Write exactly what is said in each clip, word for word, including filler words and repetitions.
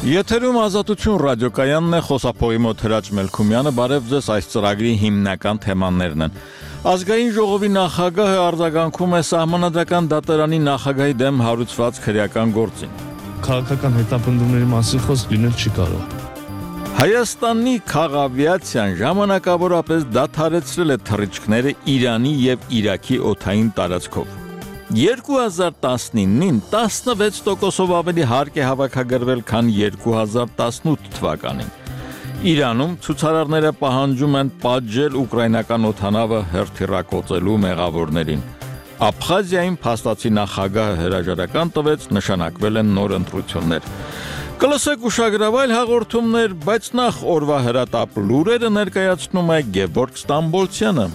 Եթերում ազատություն ռադիոկայանն է, խոսափողի մոտ Հրաչ Մելքումյանը, բարև ձեզ, այս ծրագրի հիմնական թեմաներն են։ Ազգային ժողովի նախագահը արձագանքում է սահմանադրական դատարանի նախագահի դեմ հարուցված քրեական գործին։ Քաղաքական հետապնդումների մասին խոսք լինել չի կարող։ Հայաստանի քաղավիացիան ժամանակավորապես դադարեցրել է թռիչքները Իրանի եւ Իրաքի օդային տարածքով։ երկու հազար տասնինին տասնվեց տոկոսով ավելի հարկ է հավաքագրվել, քան երկու հազար տասնութ թվականին։ Իրանում ցուցարարները պահանջում են պատժել ուկրաինական օդանավը հերթիռակոծելու մեղավորներին։ Աբխազիայում փաստացի նախագահը հրաժարական տվեց, նշանակվել են նոր ընտրություններ։ Կլսեք ուշագրավայր հաղորդումներ, բայց նախ օրվա հրատապ լուրերը ներկայացնում է Գևորգ Ստամբոլցյանը։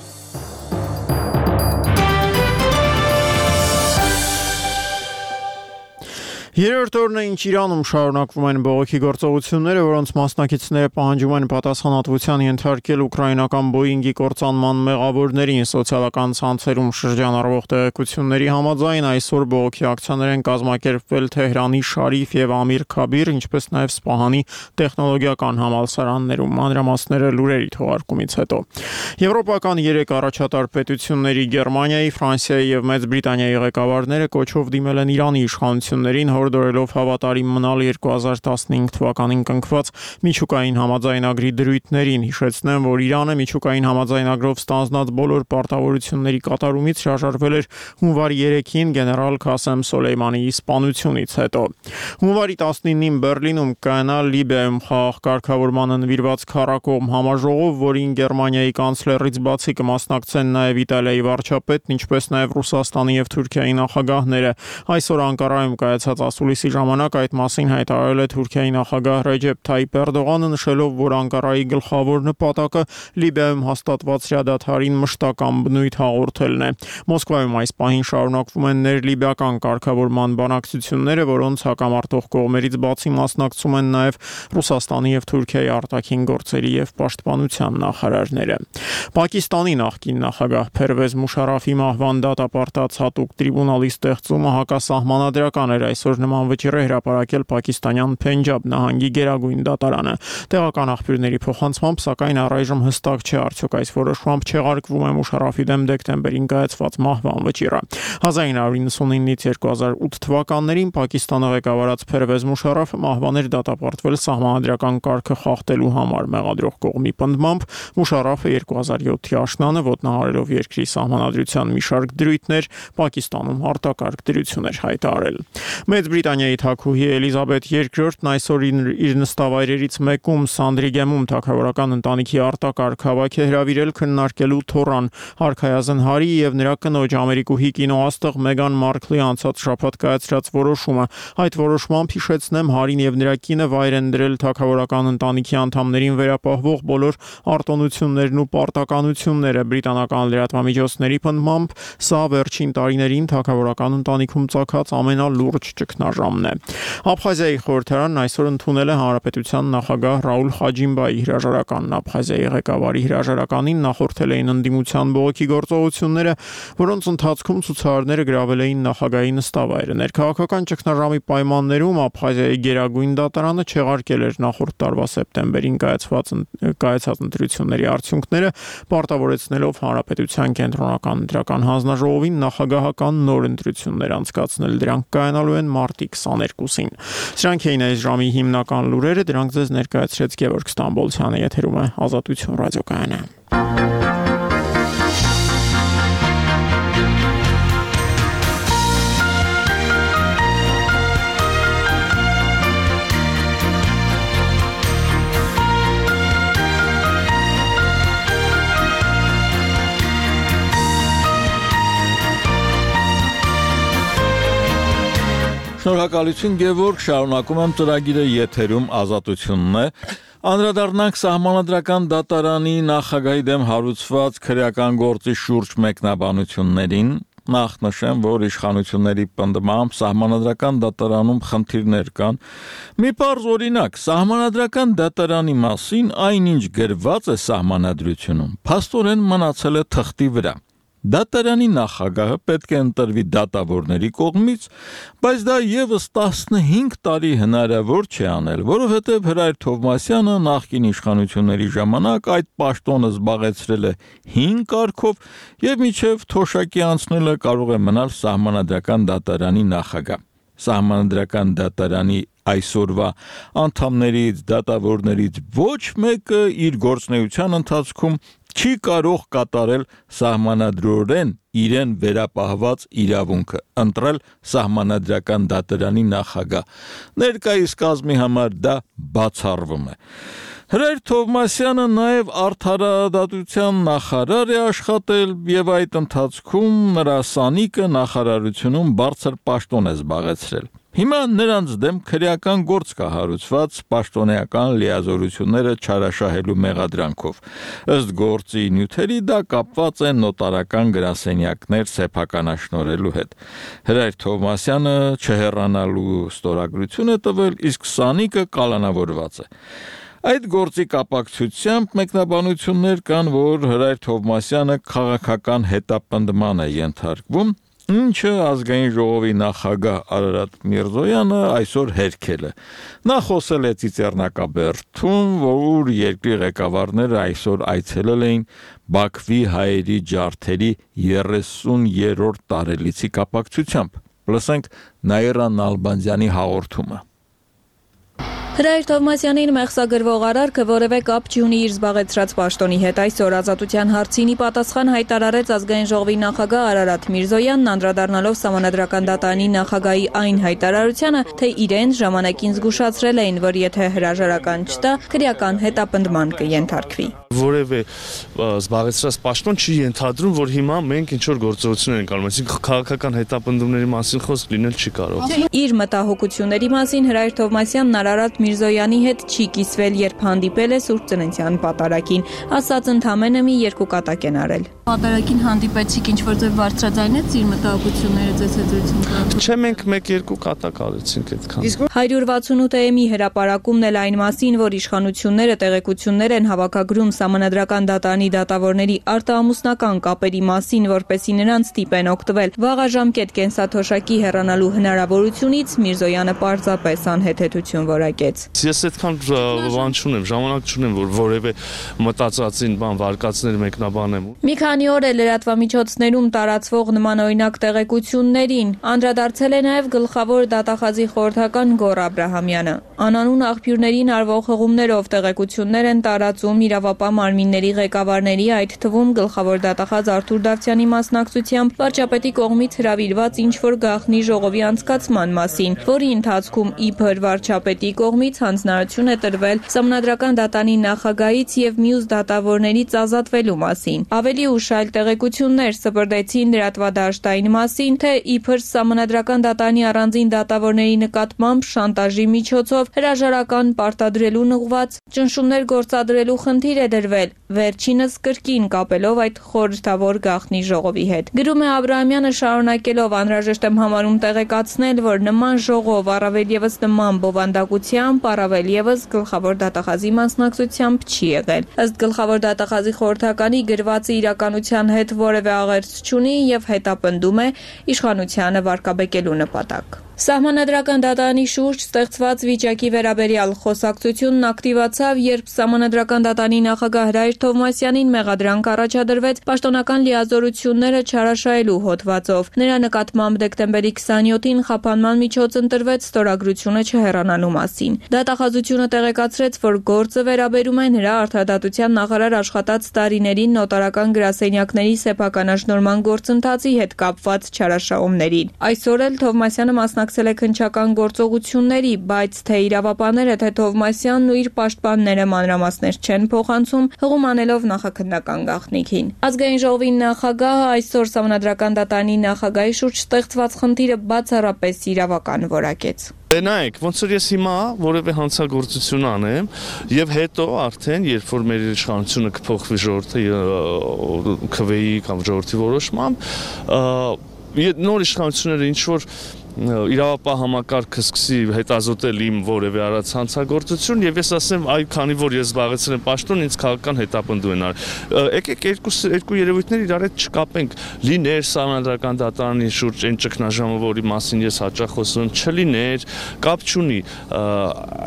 Երրորդ օրն է, ինչ Իրանում շարունակվում են բողոքի գործողությունները, որոնց մասնակիցները պահանջում են պատասխանատվության ենթարկել ուկրաինական Boeing-ի կործանման մեղավորներին։ Սոցիալական ցանցերում շրջանառվող տեղեկությունների համաձայն այսօր բողոքի ակցիաներ են կազմակերպվել Թեհրանի Շարիֆ եւ Ամիր Քաբիր, ինչպես նաեւ Սպահանի տեխնոլոգիական համալսարաններում։ Մանրամասները լուրերի թողարկումից հետո։ Եվրոպական երեք առաջատար պետությունների Գերմանիայի, Ֆրանսիայի եւ Մեծ Բրիտանիայի ղեկավարները կոչով դիմել են Իրանի իշխանություններին, հորդորելով հավատարիմ մնալ երկու հազար տասնհինգ թվականին կնքված միջուկային համաձայնագրի դրույթներին։ Հիշեցնեմ, որ Իրանը միջուկային համաձայնագրով ստանձնած բոլոր պարտավորությունների կատարումից հրաժարվել էր հունվարի երեքին գեներալ Քասեմ Սոլեյմանիի սպանությունից հետո։ Հունվարի տասնինին Բերլինում կայանա Լիբիայում խաղաղ կարգավորմանը նվիրված քառակողմ համաժողով, որին Գերմանիայի կանցլերից բացի կմասնակցեն նաև Իտալիայի վարչապետն, ինչպես նաև Ռուսաստանի եւ Թուրքիայի նախագահները։ Այսօր Անկարայում կայացած ասուլիսի ժամանակ այդ մասին հայտարարել է Թուրքիայի նախագահ Ռեջեփ Թայիփ Էրդողանը, նշելով, որ Անկարայի գլխավոր նպատակը Լիբիայում հաստատված հրադադարին մշտական բնույթ հաղորդելն է։ Մոսկվայում այս պահին շարունակվում են ներլիբիական կարգավորման բանակցությունները, որոնց հակամարտող կողմերից բացի մասնակցում են նաև Ռուսաստանի եւ Թուրքիայի արտաքին գործերի եւ պաշտպանության նախարարները։ Պակիստանի նախկին նախագահ Փերվեզ Մուշարաֆի մահվան դատապարտած հատուկ տրիբունալի ստեղծումը հակասահմանադրական էր։ Այսօր նման վճիռ է հրապարակել պակիստանյան Փենջաբ նահանգի գերագույն դատարանը։ Տեղական աղբյուրների փոխանցմամբ, սակայն առայժմ հստակ չէ, արդյոք այս որոշմամբ չեղարկվում է Մուշարաֆի դեմ դեկտեմբերին կայացված մահվան վճիռը։ հազար ինը հարյուր նվաթյանից երկու հազար ութ թվականներին Պակիստանը ղեկավարած Փերվեզ Մուշարաֆը մահվան էր դատապարտվել սահմանադրական կարգը խախտելու համար։ Մեղադրող կողմի պնդմամբ Մուշարաֆը երկու հազար յոթի աշնանը ոտնահարելով երկրի սահմանադրության մի շարք դրույթներ Պակիստանում արտակարգ դրություն էր հայտարարել։ Մեծ Բրիտանիայի թագուհի Էլիզաբեթ երկրորդն այսօր իր նստավայրերից մեկում Սանդրիգեմում թագավորական ընտանիքի արտակարգ հավաք է հրավիրել քննարկելու Թորան Արքայազն Հարի եւ նրա կնոջ ամերիկուհի կինոաստղ Մեգան Մարքլի անցած շաբաթ կայացրած որոշումը։ Այդ որոշմամբ, հիշեցնեմ, Հարին եւ նրա կինը վայր են դրել թագավորական ընտանիքի անդամներին վերապահվող բոլոր արտոնություններն ու պարտականությունները։ Բրիտանական լրատվամիջոցների պնդմամբ սա վերջին տարիներին թագավորական ընտանիքում ծագած ամենալուրջ ճգնաժամն է։ Աբխազիայի խորհրդարանն այսօր ընդունել է հանրապետության նախագահ Ռաուլ Խաջիմբայի հրաժարականն։ Աբխազիայի ղեկավարի հրաժարականին նախորդել էին ընդդիմության բողոքի գործողությունները, որոնց ընթացքում ցուցարարները գրավել էին նախագահի նստավայրը։ Ներքաղաքական ճգնաժամի պայմաններում Աբխազիայի գերագույն դատարանը չեղարկել էր նախորդ տարվա սեպտեմբերին կայացված կայացած ընտրությունների արդյունքները, պարտավորեցնելով հանրապետության կենտրոնական ընտրական հանձնաժողովին նախագահական նոր ընտրություններ անցկացնել։ Դրանք կայանալու են մարտի քսաներկուսին։ Սրանք էին այս ժամի հիմնական լուրերը, դրանք ձեզ ներկայացրեց Գևորգ Ստամբոլցյանը, եթերում է Ազատություն ռադիոկայանը։ Շնորհակալություն Գևորգ, շարունակում եմ ծրագիրը, եթերում Ազատությունն է։ Անդրադառնանք սահմանադրական դատարանի նախագահի դեմ հարուցված քրեական գործի շուրջ մեկնաբանություններին։ Նախ նշեմ, որ իշխանությունների պնդմամբ սահմանադրական դատարանում խնդիրներ կան։ Մի պարզ օրինակ, սահմանադրական դատարանի մասին այնինչ գրված է սահմանադրությունում, փաստորեն մնացել է թղթի վրա։ Դատարանի նախագահը պետք է ընտրվի դատավորների կողմից, բայց դա եւս տասնհինգ տարի հնարավոր չէ անել, որովհետեւ Հրայր Թովմասյանը նախկին իշխանությունների ժամանակ այդ պաշտոնը զբաղեցրել է հինգ կարգով եւ մինչեւ թոշակի անցնելը կարող է մնալ սահմանադրական դատարանի նախագահ։ Սահմանադրական դատարանի այսօրվա անդամներից, դատավորներից ոչ մեկը իր գործունեության ընթացքում չի կարող կատարել սահմանադրորեն իրեն վերապահված իրավունքը, ընտրել սահմանադրական դատարանի նախագահ։ Ներկայիս կազմի համար դա բացառվում է։ Հրայր Թովմասյանը նաև արդարադատության նախարար է աշխատել եւ այդ ընթացքում նրա սանիկը նախարարությունում բարձր պաշտոն է զբաղեցրել։ Հիմա նրանց դեմ քրեական գործ կա հարուցված պաշտոնեական լիազորությունները չարաշահելու մեղադրանքով։ Ըստ գործի նյութերի դա կապված է նոտարական գրասենյակներ սեփականաշնորհելու հետ։ Հրայր Թովմասյանը չհեռանալու ստորագրություն է տվել, իսկ սանիկը կալանավորված է։ Այդ գործի կապակցությամբ մեկնաբանություններ կան, որ Հրայր Թովմասյանը քաղաքական հետապնդման է ենթարկվում, ինչը ազգային ժողովի նախագահ Արարատ Միրզոյանը այսօր հերքել է։ Նա խոսել է Ծիծեռնակաբերդում, որ երկրի ղեկավարները այսօր այցելել էին Բաքվի հայերի ջարդերի երեսուներորդ տարելիցի կապակցությամբ։ Լսենք Նաիրա Նալբանդյանի հաղորդումը։ Հրայր Թովմասյանին մեղսագրվող արարքը որևէ կապ չունի իր զբաղեցրած պաշտոնի հետ։ Այսօր ազատության հարցինի պատասխան հայտարարեց ազգային ժողովի նախագահ Արարատ Միրզոյանն, անդրադառնալով Սահմանադրական դատարանի նախագահի այն հայտարարությանը, թե իրեն ժամանակին զգուշացրել էին, որ եթե հրաժարական չտա, քրեական հետապնդման կենթարկվի։ Որևէ զբաղեցրած պաշտոն չի ենթադրում, որ հիմա մենք ինչ որ գործողություններ ենք անում, այսինքն քաղաքական հետապնդումների մասին խոսք լինել չի կարող։ Իր մտահոգությունների մասին Հրայր Թովմասյանն Արարատ Միրզոյանի հետ չի կիսվել, երբ հանդիպել է Սուրբ Ծննդյան պատարագին, ասաց ընդամենը մի երկու կատակ են արել։ Պատարագին հանդիպեցիք, ինչ որ ձեւ բարձրաձայնեց իր մտահոգությունները ձեզ հետ զրուցում կան։ Չէ, մենք մեկ-երկու կատակ արեցինք այդքան։ հարյուր վաթսունութ էմի հրապարակումն էլ այն մասին, որ իշխանությունները տեղեկություններ են հավաքագրում Սահմանադրական դատարանի դատավորների արտահամուսնական կապերի մասին, որպեսզի նրանց ստիպեն օգտվել վաղաժամկետ կենսաթոշակի հեռանալու հնարավորությունից, Միրզոյանը պարզապես անհեթեթություն որակեց։ Ես այդքան բան չունեմ, ժամանակ չունեմ, որ որևէ մտածածին բան վարկածներ մեկնաբանեմ։ Մի քանի օր է լրատվամիջոցներում տարածվող նմանօրինակ տեղեկություններին անդրադարձել է նաև գլխավոր դատախազի խորհրդական Գոռ Աբրահամյանը։ Անանուն աղբյուրներին արվող հղումներով տեղեկություններ են տարածում իրավապահ մարմինների ղեկավարների, այդ թվում գլխավոր դատախազ Արթուր Դավթյանի մասնակցությամբ վարչապետի կողմից հրավիրված ինչ-որ գաղտնի ժողովի անցկացման մասին, որի ընթացքում իբր վարչապետի կողմից հանձնարարություն է տրվել Սահմանադրական դատարանի նախագահից եւ մյուս դատավորներից ազատվելու մասին։ Ավելի ուշ այլ տեղեկություններ սպրդեցին լրատվադաշտային մասին, թե իբր Սահմանադրական դատարանի առանձին դատավորների նկատմամբ շանտաժի միջոցով հրաժարական պարտադրելուն ուղղված ճնշումներ գործադրելու խնդիր է դրվել, վերջինս կրկին կապելով այդ խորհրդավոր գաղտնի ժողովի հետ։ Գրում է Աբրահամյանը շարունակելով, անհրաժեշտ եմ համարում տեղեկացնել, որ նման ժողով առավել եւս նման բովանդակությամբ, առավել եւս գլխավոր դատախազի մասնակցությամբ չի եղել։ Ըստ գլխավոր դատախազի խորհրդականի գրվածը իրականության հետ որևէ աղերս չունի եւ հետապնդում է իշխանությանը վարկաբեկելու նպատակ։ Սահմանադրական դատարանի շուրջ ստեղծված վիճակի վերաբերյալ խոսակցությունն ակտիվացավ, երբ Սահմանադրական դատարանի նախագահ Հրայր Թովմասյանին մեղադրանք առաջադրվեց պաշտոնական լիազորությունները չարաշահելու հոդվածով։ Նրա նկատմամբ դեկտեմբերի քսաներկուին խափանման միջոց ընտրվեց ստորագրությունը չհեռանալու մասին։ Դատախազությունը տեղեկացրեց, որ գործը վերաբերում է նրա արդարադատության նախարար աշխատած տարիներին նոտարական գրասենյակների սեփականաշնորհման գործընթացի հետ կապված չարաշահումներին։ Այսօր էլ Թովմասյանը մասնակցել է քննչական գործողությունների, բայց թե իրավապահները, թե Թովմասյանն ու իր պաշտպանները մանրամասներ չեն փոխանցում, հղում անելով նախաքննական գաղտնիքին։ Ազգային ժողովի նախագահը այսօր Սահմանադրական դատարանի նախագահի շուրջ ստեղծված խնդիրը բացառապես իրավական որակեց։ Նայեք, ոնց որ ես հիմա որևէ հանցագործություն անեմ եւ հետո արդեն երբ որ մեր իշխանությունը կփոխվի ժողովրդի քվեի կամ ժողովրդի որոշմամբ, նոր իշխանությունները ինչ որ իրավապահ համակարգը սկսի հետազոտել իմ որևէ արած հանցագործություն եւ ես ասեմ այ քանի որ ես զբաղեցրել եմ պաշտոն ինձ քաղաքական հետապնդում են արել եկեք երկու երկու երևույթներ իրար հետ չկապենք լիներ սահմանադրական դատարանի շուրջ այն ճգնաժամը որի մասին ես հաճախ խոսում եմ չլիներ կապ չունի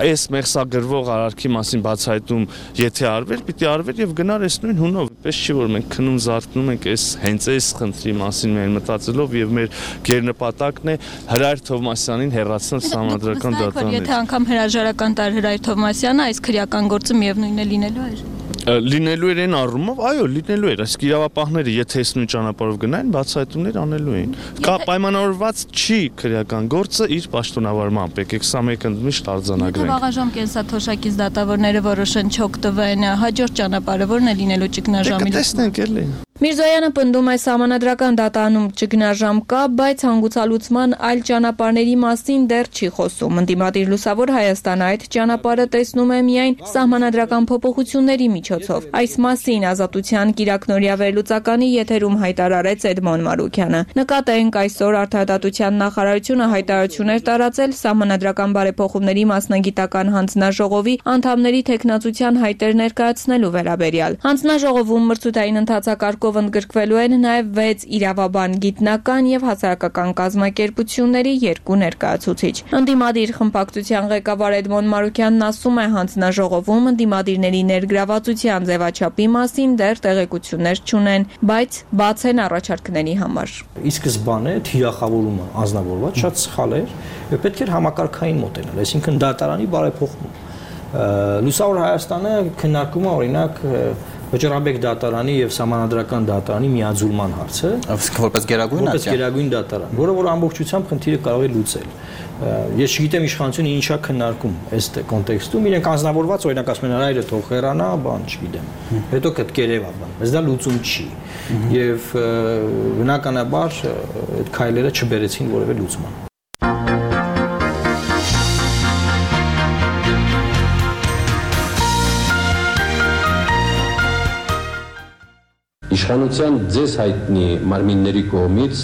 այս մեղսագրվող արարքի մասին բացահայտում եթե արվեր պիտի արվեր եւ գնար այս նույն հունով պես չի որ մենք քնում զարթնում ենք այս հենց այս խնդրի մասին մեր մտածելով եւ մեր գերնպատակն է Հրայր Թովմասյանին հեռացնել սահմանադրական դատարանից։ Եթե անգամ հրաժարական տար Հրայր Թովմասյանը, այս քրեական գործը միևնույնն է լինելու էր։ Լինելու էր այն առումով, այո, լինելու էր, այսինքն իրավապահները եթե այս նույն ճանապարհով գնային, բացահայտումներ անելու էին։ Կա պայմանավորված չի քրեական գործը իր պաշտոնավարմամբ, եկեք սա մեկ ընդմիշտ արձանագրենք։ Եթե վաղաժամ կենսաթոշակից դատավորները որոշեն չօգտվեն, հաջորդ ճանապարհը ո՞րն է լինելու ճգնաժամի։ Տեսնենք էլի։ Միրզոյանը պնդում է սահմանադրական դատարանում ճգնաժամ կա, բայց հանգուցալուծման այլ ճանապարհների մասին դեռ չի խոսում։ Ընդդիմադիր Լուսավոր Հայաստանը այդ ճանապարհը տեսնում է միայն սահմանադրական փոփոխությունների միջոցով։ Այս մասին Ազատության կիրակնօրյա վերլուծականի եթերում հայտարարեց Էդմոն Մարուքյանը։ Նկատենք այսօր Արդարադատության նախարարությունը հայտարարություններ տարածել սահմանադրական բարեփոխումների մասնագիտական հանձնաժողովի անդամների թեկնածության հայտեր ներկայացնելու վերաբերյալ։ Հանձնաժողովում մրցութային ընթացակարգով ընդգրկվելու են նաև վեց իրավաբան գիտնական եւ հասարակական կազմակերպությունների երկու ներկայացուցիչ։ Ընդդիմադիր խմբակցության ղեկավար Էդմոն Մարուքյանն ասում է հանձնաժողովում ընդդիմադիրների ներգրավվածության ձևաչափի մասին դեռ տեղեկություններ չունեն, բայց բաց են առաջարկների համար։ Ի սկզբանե թիրախավորումը անձնավորված շատ սխալ էր եւ պետք էր համակարգային մոտենալ, այսինքն դատարանի բարեփոխում։ Լուսավոր Հայաստանը քննարկում է օրինակ Վճռաբեկ դատարանի եւ սահմանադրական դատարանի միաձուլման հարցը, որպես գերագույն որպես գերագույն դատարան, որը որ ամբողջությամբ խնդիրը կարող է լուծել։ Ես չգիտեմ իշխանությունը ինչա քննարկում այս կոնտեքստում, իրենք անձնավորված օրինակ ասում են այրը թող հեռանա, բան չգիտեմ։ Հետո կտկերեվա բան, բայց դա լուծում չի։ Եվ բնականաբար այդ քայլերը չբերեցին որևէ լուծման։ Իշխանության ձեզ հայտնի մարմինների կողմից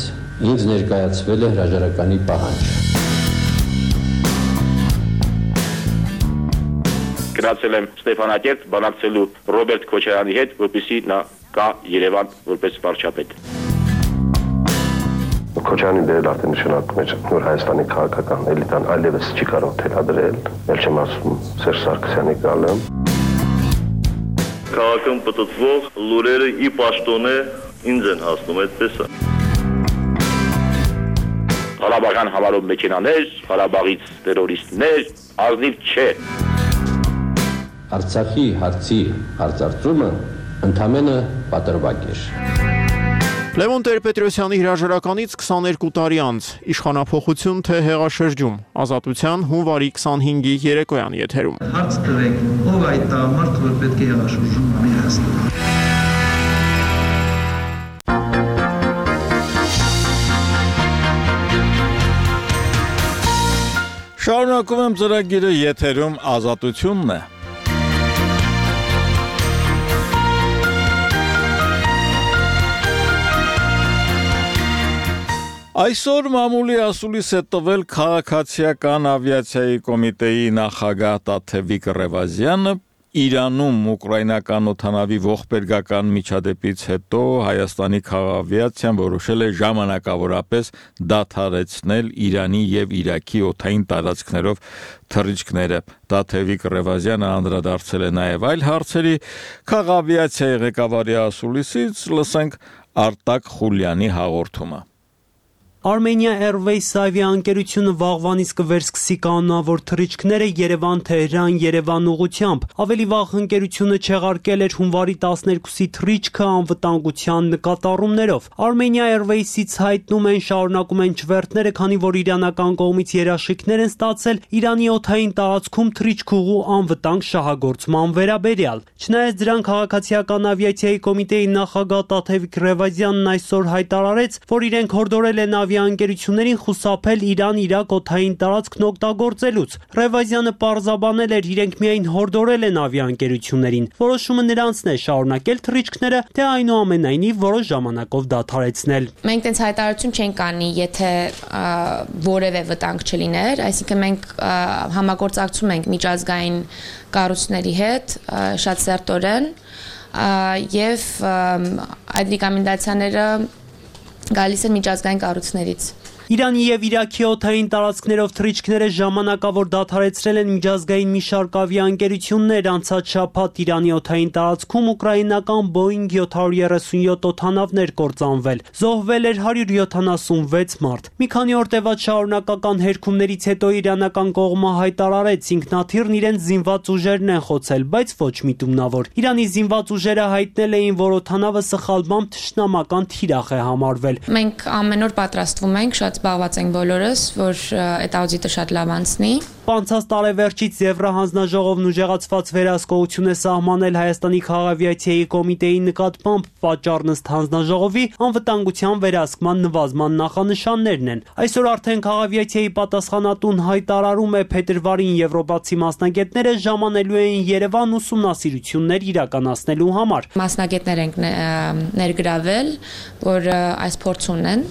ինձ ներկայացվել է հրաժարականի պահանջ։ Գնացել եմ Ստեփանակերտ բանակցելու Ռոբերտ Քոչարյանի հետ, որպեսզի նա գա Երևան որպես վարչապետ։ Քոչարյանի դերը արդեն նշանակում է, որ Հայաստանի քաղաքական էլիտան այլևս չի կարող թելադրել, ել չեմ ասում Սերժ Սարգսյանի գալը։ Քաղաքում պտտվող լուրերը ի պաշտոնե ինձ են հասնում, այդպես է։ Ղարաբաղյան համարով մեքենաներ, Ղարաբաղից տերորիստներ, ազնիվ չէ։ Արցախի հարցի հարցարծումը ընդամենը պատրվակ էր։ Լևոն Տեր-Պետրոսյանի հրաժարականից քսաներկու տարի անց իշխանափոխություն թե հեղաշրջում Ազատության հունվարի քսանհինգի երեկոյան եթերում։ Հարց տվեք, ով այդ տղամարդը, որ պետք է հեղաշրջում անի Հայաստանում։ Շարունակում եմ ծրագիրը եթերում Ազատությունն է։ Այսօր մամուլի ասուլիս է տվել քաղաքացիական ավիացիայի կոմիտեի նախագահ Տաթևիկ Ռևազյանը Իրանում ուկրաինական օդանավի ողբերգական միջադեպից հետո Հայաստանի քաղաքավիացիան որոշել է ժամանակավորապես դադարեցնել Իրանի եւ Իրաքի օդային տարածքներով թռիչքները։ Տաթևիկ Ռևազյանը անդրադարձել է նաեւ այլ հարցերի քաղաքավիացիայի ղեկավարի ասուլիսից, լսենք Արտակ Խուլյանի հաղորդումը։ Armenia Airways ավիաընկերությունը վաղվանից կվերսկսի կանոնավոր թռիչքները Երևան-Թեհրան Երևան ուղղությամբ։ Ավելի վաղ ընկերությունը չեղարկել էր հունվարի տասներկուսի թռիչքը անվտանգության նկատառումներով։ Armenia Airways-ից հայտնում են շարունակում են չվերթները, քանի որ իրանական կողմից երաշխիքներ են ստացել Իրանի օդային տարածքում թռիչքուղու անվտանգ շահագործման վերաբերյալ։ Չնայած դրան քաղաքացիական ավիացիայի կոմիտեի նախագահ Տաթևիկ Ռևազյանն այսօր հայտարարեց, որ իրենք հորդորել են ավիաընկերություններին խուսափել Իրան-Իրաք օդային տարածքն օգտագործելուց։ Ռևազյանը պարզաբանել էր, իրենք միայն հորդորել են ավիաընկերություններին։ Որոշումը նրանցն է շարունակել թռիչքները, թե այնուամենայնիվ որոշ ժամանակով դադարեցնել։ Մենք տենց հայտարարություն չենք անի, եթե որևէ վտանգ չլիներ, այսինքն մենք համագործակցում ենք միջազգային կառույցների հետ շատ սերտորեն եւ այդ ռեկոմենդացիաները գալիս են միջազգային կառույցներից։ Իրանի եւ Իրաքի օդային տարածքներով թռիչքները ժամանակավոր դադարեցրել են միջազգային մի շարք ավիաընկերություններ, անցած շաբաթ Իրանի օդային տարածքում ուկրաինական Boeing seven thirty-seven օդանավներ կործանվել, զոհվել էր one hundred seventy-six մարդ։ Մի քանի օր տևած շարունակական հերքումներից հետո իրանական կողմը հայտարարեց, ինքնաթիռն իրենց զինված ուժերն են խոցել, բայց ոչ միտումնավոր։ Իրանի զինված ուժերը հայտնել էին, որ օդանավը սխալմամբ թշնամական թիրախ է համարվել։ Մենք ամեն օր պատրաստվում ենք, շատ զբաղված ենք բոլորս, որ այդ աուդիտը շատ լավ անցնի։ Անցած տարեվերջից Եվրահանձնաժողովն ուժեղացված վերահսկողություն է սահմանել Հայաստանի քաղաքավիացիայի կոմիտեի նկատմամբ, պատճառն ըստ հանձնաժողովի անվտանգության վերահսկման նվազման նախանշաններն են։ Այսօր արդեն քաղաքավիացիայի պատասխանատուն հայտարարում է, փետրվարին եվրոպացի մասնագետները ժամանելու են Երևան ուսումնասիրություններ իրականացնելու համար։ Մասնագետներ ենք ներգրավել, որ այս փորձ ունեն,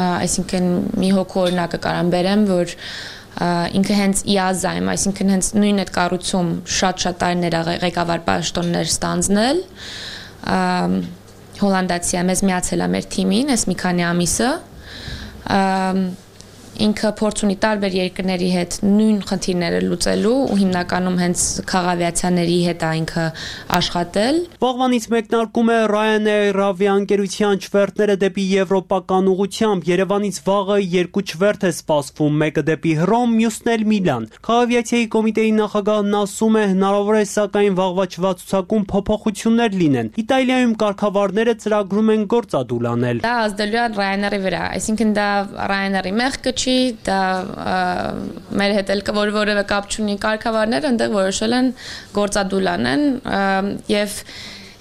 այսինքն մի հոգու օրինակը կարամ բերեմ, որ ինքը հենց իազայմ, այսինքն հենց նույն այդ կառույցում շատ-շատ տարիներ ղեկավար պաշտոններ ստանձնել, հոլանդացի է, մեզ միացել է մեր թիմին, այս մի քանի ամիսը, ինքը փորձ ունի տարբեր երկրների հետ նույն խնդիրները լուծելու ու հիմնականում հենց քաղաքավիացիաների հետ է ինքը աշխատել։ Վաղվանից մեկնարկում է Ryanair ավիաընկերության չվերթները դեպի եվրոպական ուղղությամբ։ Երևանից վաղը երկու չվերթ է սպասվում, մեկը դեպի Հռոմ, մյուսն էլ Միլան։ Քաղաքավիացիայի կոմիտեի նախագահն ասում է, հնարավոր է սակայն վաղվա չվացուցակում փոփոխություններ լինեն։ Իտալիայում կարգավարները ծրագրում են գործադուլ անել։ Դա ազդելու է Ryanair-ի վրա, այսինքն դա Ryanair-ի մեղքը չի, դա մեր հետ էլ որ որևէ կապ չունի, կարգավարները այնտեղ որոշել են գործադուլ անեն եւ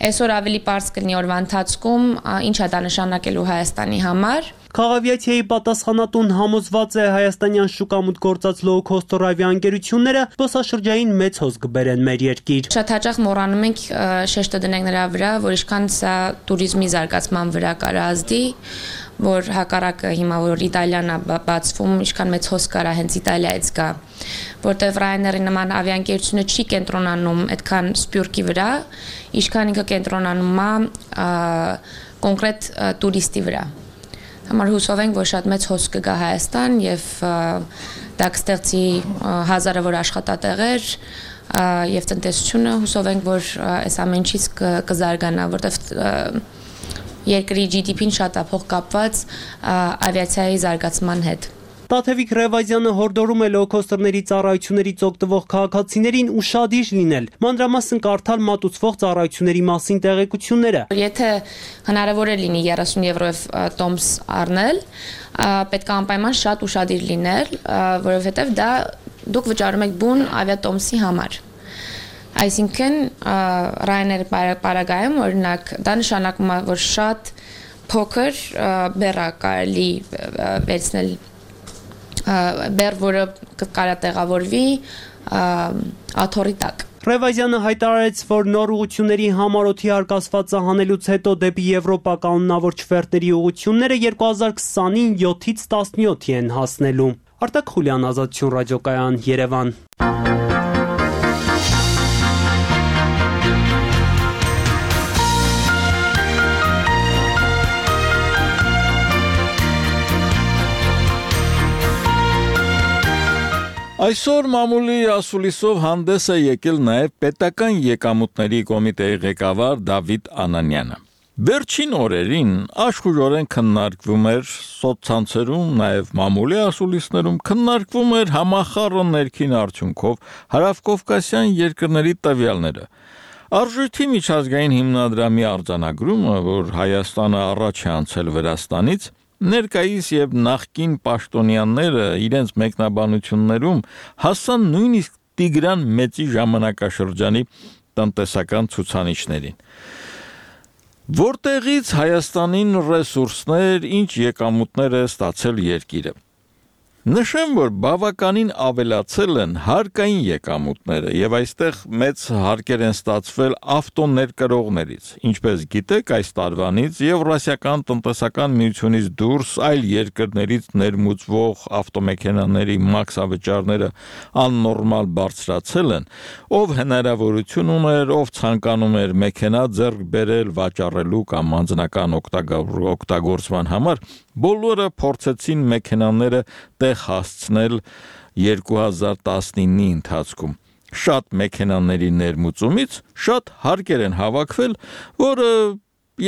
այսօր ավելի պարզ կլինի օրվա ընթացքում ինչ է դա նշանակելու Հայաստանի համար։ Քաղաքավիացիայի պատասխանատուն համոզված է հայաստանյան շուկամուտք գործած լոու-քոստեր ավիաընկերությունները զբոսաշրջային մեծ հոս կբերեն մեր երկիր։ Շատ հաճախ մոռանում ենք շեշտը դնենք նրա վրա, որ ինչքան սա туриզմի զարգացման վրա կարա ազդի, որ հակառակը հիմա որ Իտալիան է բացվում, ինչքան մեծ հոս կարա հենց Իտալիայից գա, որտեղ Ryanair-ի նման ավիաընկերությունը չի կենտրոնանում այդքան սպյուրքի վրա, ինչքան ինքը կենտրոնանում է կոնկրետ տուրիստի վրա։ Համար հուսով ենք, որ շատ մեծ հոս կգա Հայաստան եւ դա կստեղծի հազարավոր աշխատատեղեր եւ տնտեսությունը, հուսով ենք, որ այս ամեն ինչից կզարգանա, որտեղ երկրի G D P-ն շատ է փոխկապված ավիացիայի զարգացման հետ։ Տաթևիկ Ռևազյանը հորդորում է լոու-քոստերների ծառայություններից օգտվող քաղաքացիներին ուշադիր լինել, մանրամասն կարդալ մատուցվող ծառայությունների մասին տեղեկությունները։ Եթե հնարավոր է լինի thirty եվրոյով տոմս առնել, պետք է անպայման շատ ուշադիր լինել, որովհետև դա դուք վճարում եք բուն ավիատոմսի համար։ Այսինքն Ryanair պարագայում օրինակ դա նշանակում է, որ շատ փոքր բեռ կարելի վերցնել բեռ, որը կարա տեղավորվի աթոռի տակ։ Ռևազյանը հայտարարեց, որ նոր ուղղությունների համար օդի արկածվածը հանելուց հետո դեպի Եվրոպա կանոնավոր չվերթերի ուղղությունները twenty twenty-ին sevenից seventy-seven են հասնելու։ Արտակ Խուլյան, Ազատություն ռադիոկայան, Երևան։ Այսօր մամուլի ասուլիսով հանդես է եկել նաև պետական եկամուտների կոմիտեի ղեկավար Դավիթ Անանյանը։ Վերջին օրերին աշխուժորեն քննարկվում էր սոցցանցերում, նաև մամուլի ասուլիսներում քննարկվում էր համախառն ներքին արդյունքով հարավկովկասյան երկրների տվյալները։ Արժույթի միջազգային հիմնադրամի արձանագրումը, որ Հայաստանը առաջ է անցել Վրաստանից, ներկայիս եւ նախկին պաշտոնյաները իրենց մեկնաբանություններում հասան նույնիսկ Տիգրան Մեծի ժամանակաշրջանի տնտեսական ցուցանիշներին։ Որտեղից Հայաստանին ռեսուրսներ, ինչ եկամուտներ է ստացել երկիրը։ Նշեմ, որ բավականին ավելացել են հարկային եկամուտները եւ այստեղ մեծ հարկեր են ստացվել ավտոներկրողներից։ Ինչպես գիտեք, այս տարվանից Եվրասիական տնտեսական միությունից դուրս այլ երկրներից ներմուծվող ավտոմեքենաների մաքսավճարները աննորմալ բարձրացել են, ով հնարավորություն ուներ, ով ցանկանում էր մեքենա ձեռք բերել վաճառելու կամ անձնական օգտագործման համար, բոլորը փորձեցին մեքենաները տեղ հասցնել երկու հազար տասնինի ընթացքում։ Շատ մեքենաների ներմուծումից շատ հարկեր են հավաքվել, որը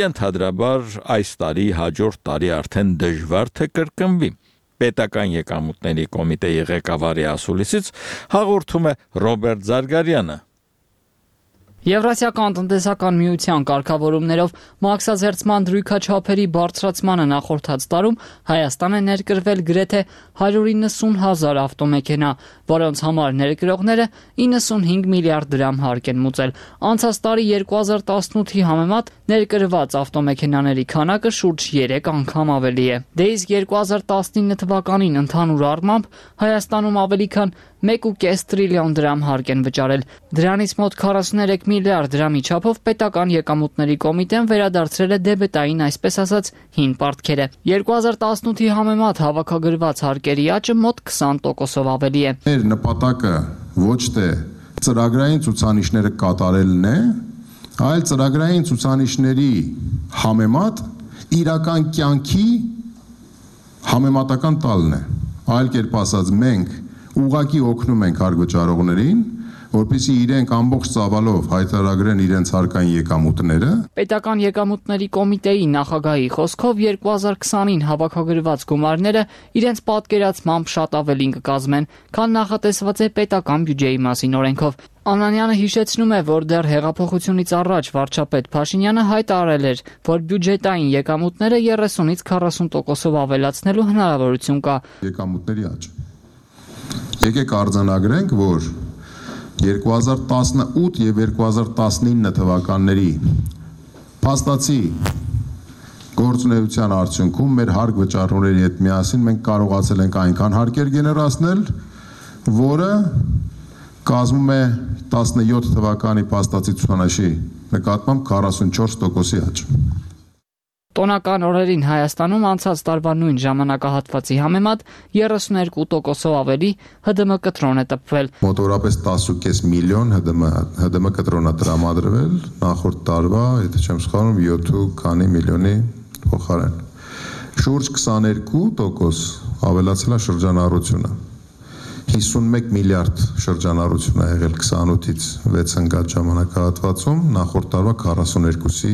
ենթադրաբար այս տարի հաջորդ տարի արդեն դժվար թե կրկնվի։ Պետական եկամուտների կոմիտեի ղեկավարի ասուլիսից հաղորդում է Ռոբերտ Զարգարյանը։ Եվրասիական տնտեսական միության կարգավորումներով մաքսազերծման դրույքաչափերի բարձրացմանը նախորդած տարում Հայաստան է ներկրվել գրեթե հարյուր իննսուն հազար ավտոմեքենա, որոնց համար ներկրողները իննսունհինգ միլիարդ դրամ հարկ են մուծել։ Անցած տարի երկու հազար տասնութի համեմատ ներկրված ավտոմեքենաների քանակը շուրջ երեք անգամ ավելի է։ Դե իսկ երկու հազար տասնինը թվականին ընդհանուր առմամբ Հայաստանում ավելի քան մեկ ու կես տրիլիոն դրամ հարկ են վճարել։ Դրանից մոտ քառասուներեք միլիարդ դրամի չափով պետական եկամուտների կոմիտեն վերադարձրել է դեբետային, այսպես ասած, հին պարտքերը։ երկու հազար տասնութի համեմատ հավաքագրված հարկերի աճը մոտ քսան տոկոսով ավելի է։ Մեր նպատակը ոչ թե ծրագրային ցուցանիշները կատարելն է, այլ ծրագրային ցուցանիշների համեմատ իրական կյանքի համեմատական տալն է։ Այլ կերպ ասած, մենք ուղղակի օգնում ենք հարկվճարողներին, որպեսզի իրենք ամբողջ ծավալով հայտարարեն իրենց հարկային եկամուտները։ Պետական եկամուտների կոմիտեի նախագահի խոսքով երկու հազար քսանին հավաքագրված գումարները իրենց պատկերացմամբ շատ ավելին կկազմեն, քան նախատեսված է պետական բյուջեի մասին օրենքով։ Անանյանը հիշեցնում է, որ դեռ հեղափոխությունից առաջ վարչապետ Փաշինյանը հայտարարել էր, որ բյուջետային եկամուտները երեսունից քառասուն տոկոսով ավելացնելու հնարավորություն կա։ Եկամուտների աճ։ Եկեք արձանագրենք, որ երկու հազար տասնութ եւ երկու հազար տասնինը թվականների փաստացի գործունեության արդյունքում մեր հարկ վճարողների հետ միասին մենք կարողացել ենք այնքան հարկեր գեներացնել, որը կազմում է տասնյոթ թվականի փաստացի ցուցանիշի նկատմամբ քառասունչորս տոկոսի աճ։ Տոնական օրերին Հայաստանում անցած տարվա նույն ժամանակահատվածի համեմատ երեսուներկու տոկոսով ավելի Հ D M կտրոն է տպվել։ Մոտորապես տասը ու կես միլիոն Հ D M Հ D M կտրոն է տրամադրվել նախորդ տարվա, եթե չեմ սխալվում, յոթ քանի միլիոնի փոխարեն։ Շուրջ քսաներկու տոկոս ավելացել է շրջանառությունը։ հիսունմեկ միլիարդ շրջանառություն է եղել քսանութից վեց ընկած ժամանակահատվածում, նախորդ տարվա քառասուներկուսի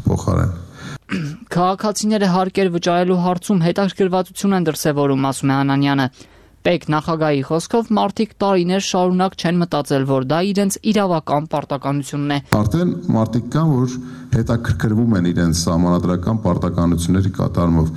փոխարեն։ Քաղաքացիները հարկեր վճարելու հարցում հետաքրքրվածություն են դրսևորում, ասում է Անանյանը։ Պետ նախագահի խոսքով մարդիկ տարիներ շարունակ չեն մտածել, որ դա իրենց իրավական պարտականությունն է։ Արդեն մարդիկ կան, որ հետաքրքրվում են իրենց սահմանադրական պարտականությունների կատարումով,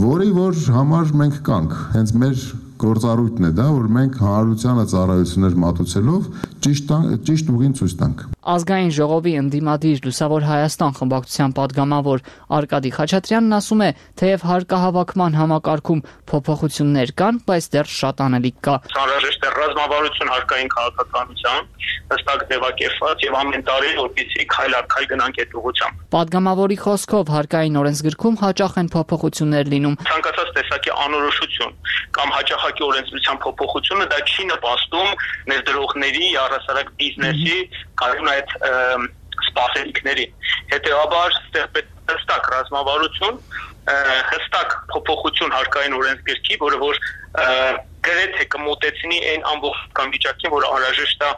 որի որ համար մենք կանք, հենց մեր գործառույթն է դա, որ մենք հանրությանը ծառայություններ մատուցելով ճիշտ ճիշտ ուղին ցույց տանք։ Ազգային ժողովի ընդդիմադիր Լուսավոր Հայաստան խմբակցության падգամավոր Արկադի Խաչատրյանն ասում է, թեև հարկահավաքման համակարգում փոփոխություններ կան, բայց դեռ շատ անելիք կա։ Անհրաժեշտ է ռազմավարություն հարկային քաղաքականության հստակ ձևակերպված եւ ամեն տարի որպեսզի քայլ առ քայլ գնանք այդ ուղղությամբ։ Падգամավորի խոսքով հարկային օրենսգրքում հաճախ են փոփոխություններ լինում։ Ցանկացած տեսակի անորոշություն կամ հաճախակի օրենսդրության փոփոխությունը դա չի նպաստում ներդրողների, առհասարակ բիզնեսի կայուն այդ սպասելիքների։ Հետևաբար հստակ ռազմավարություն, հստակ փոփոխություն հարկային օրենսգրքի, որը որ գրեթե կմոտեցնի այն ամբողջական վիճակին, որը անհրաժեշտ է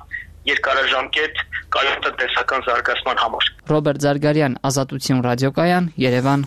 երկարաժամկետ կայուն տնտեսական զարգացման համար։ Ռոբերտ Զարգարյան, Ազատություն ռադիոկայան, Երևան։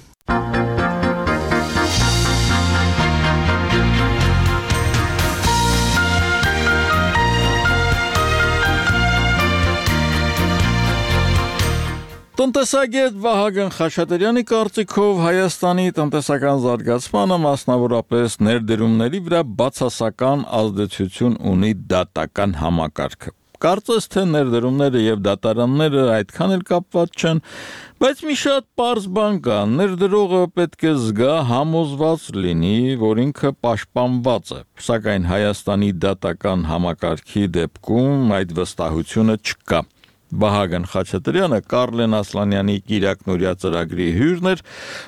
Տնտեսագետ Վահագն Խաչատրյանի կարծիքով Հայաստանի տնտեսական զարգացմանը մասնավորապես ներդրումների վրա բացասական ազդեցություն ունի դատական համակարգը։ Կարծես թե ներդրումները եւ դատարանները այդքան էլ կապված չեն, բայց մի շատ պարզ բան կա, ներդրողը պետք է զգա համոզված լինի, որ ինքը պաշտպանված է, սակայն Հայաստանի դատական համակարգի դեպքում այդ վստահությունը չկա։ Վահագն Խաչատրյանը Կարլեն Ասլանյանի Կիրակնորիա ծրագրի հյուրն էր,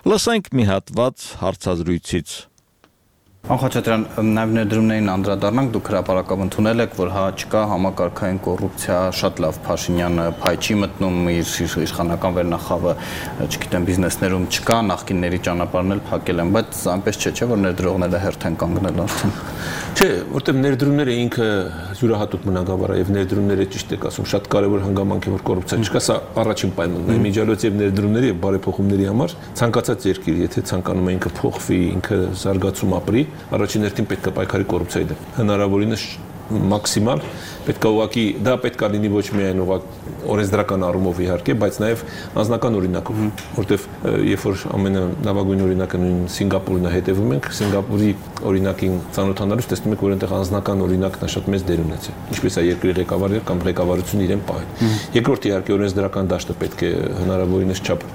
լսենք մի հատված հարցազրույցից։ Խաչատրյան, նաև ներդրումներին անդրադառնանք, դուք հրապարակավ ընդունել եք, որ հա չկա համակարգային կոռուպցիա, շատ լավ Փաշինյանը փայ չի մտնում, իր իշխանական վերնախավը, չգիտեմ, բիզնեսներում չկա, նախկինների ճանապարհն էլ փակել են, բայց այնպես չէ, չէ, որ ներդրողները հերթ են կանգնել արդեն։ Չէ, որտեղ ներդրումները ինքը յուրահատուկ մնագավառ է եւ ներդրումները ճիշտ եք ասում, շատ կարեւոր հանգամանք է, որ կոռուպցիա չկա, սա առաջին պայմանն է, միջալոց եւ ներդրումների եւ բարեփոխումների համար ցանկացած երկիր, եթե ցանկանում է ինքը փոխվի, ինքը զարգացում ապրի, առաջին հերթին պետք է պայքարի կոռուպցիայի դեմ։ Հնարավորինս մաքսիմալ պետք է ուղղակի դա պետք է լինի ոչ միայն ուղղակի օրենսդրական առումով իհարկե, բայց նաև անձնական օրինակով, որտեվ երբ որ ամենալավագույն օրինակը նույն Սինգապուրն է հետևում ենք, Սինգապուրի օրինակին ծանոթանալուց տեսնում եք, որ այնտեղ անձնական օրինակն է շատ մեծ դեր ունեցել, ինչպես է երկրի ղեկավարը կամ ղեկավարությունը իրեն պահել։ Երկրորդ իհարկե օրենսդրական դաշտը պետք է հնարավորինս չափ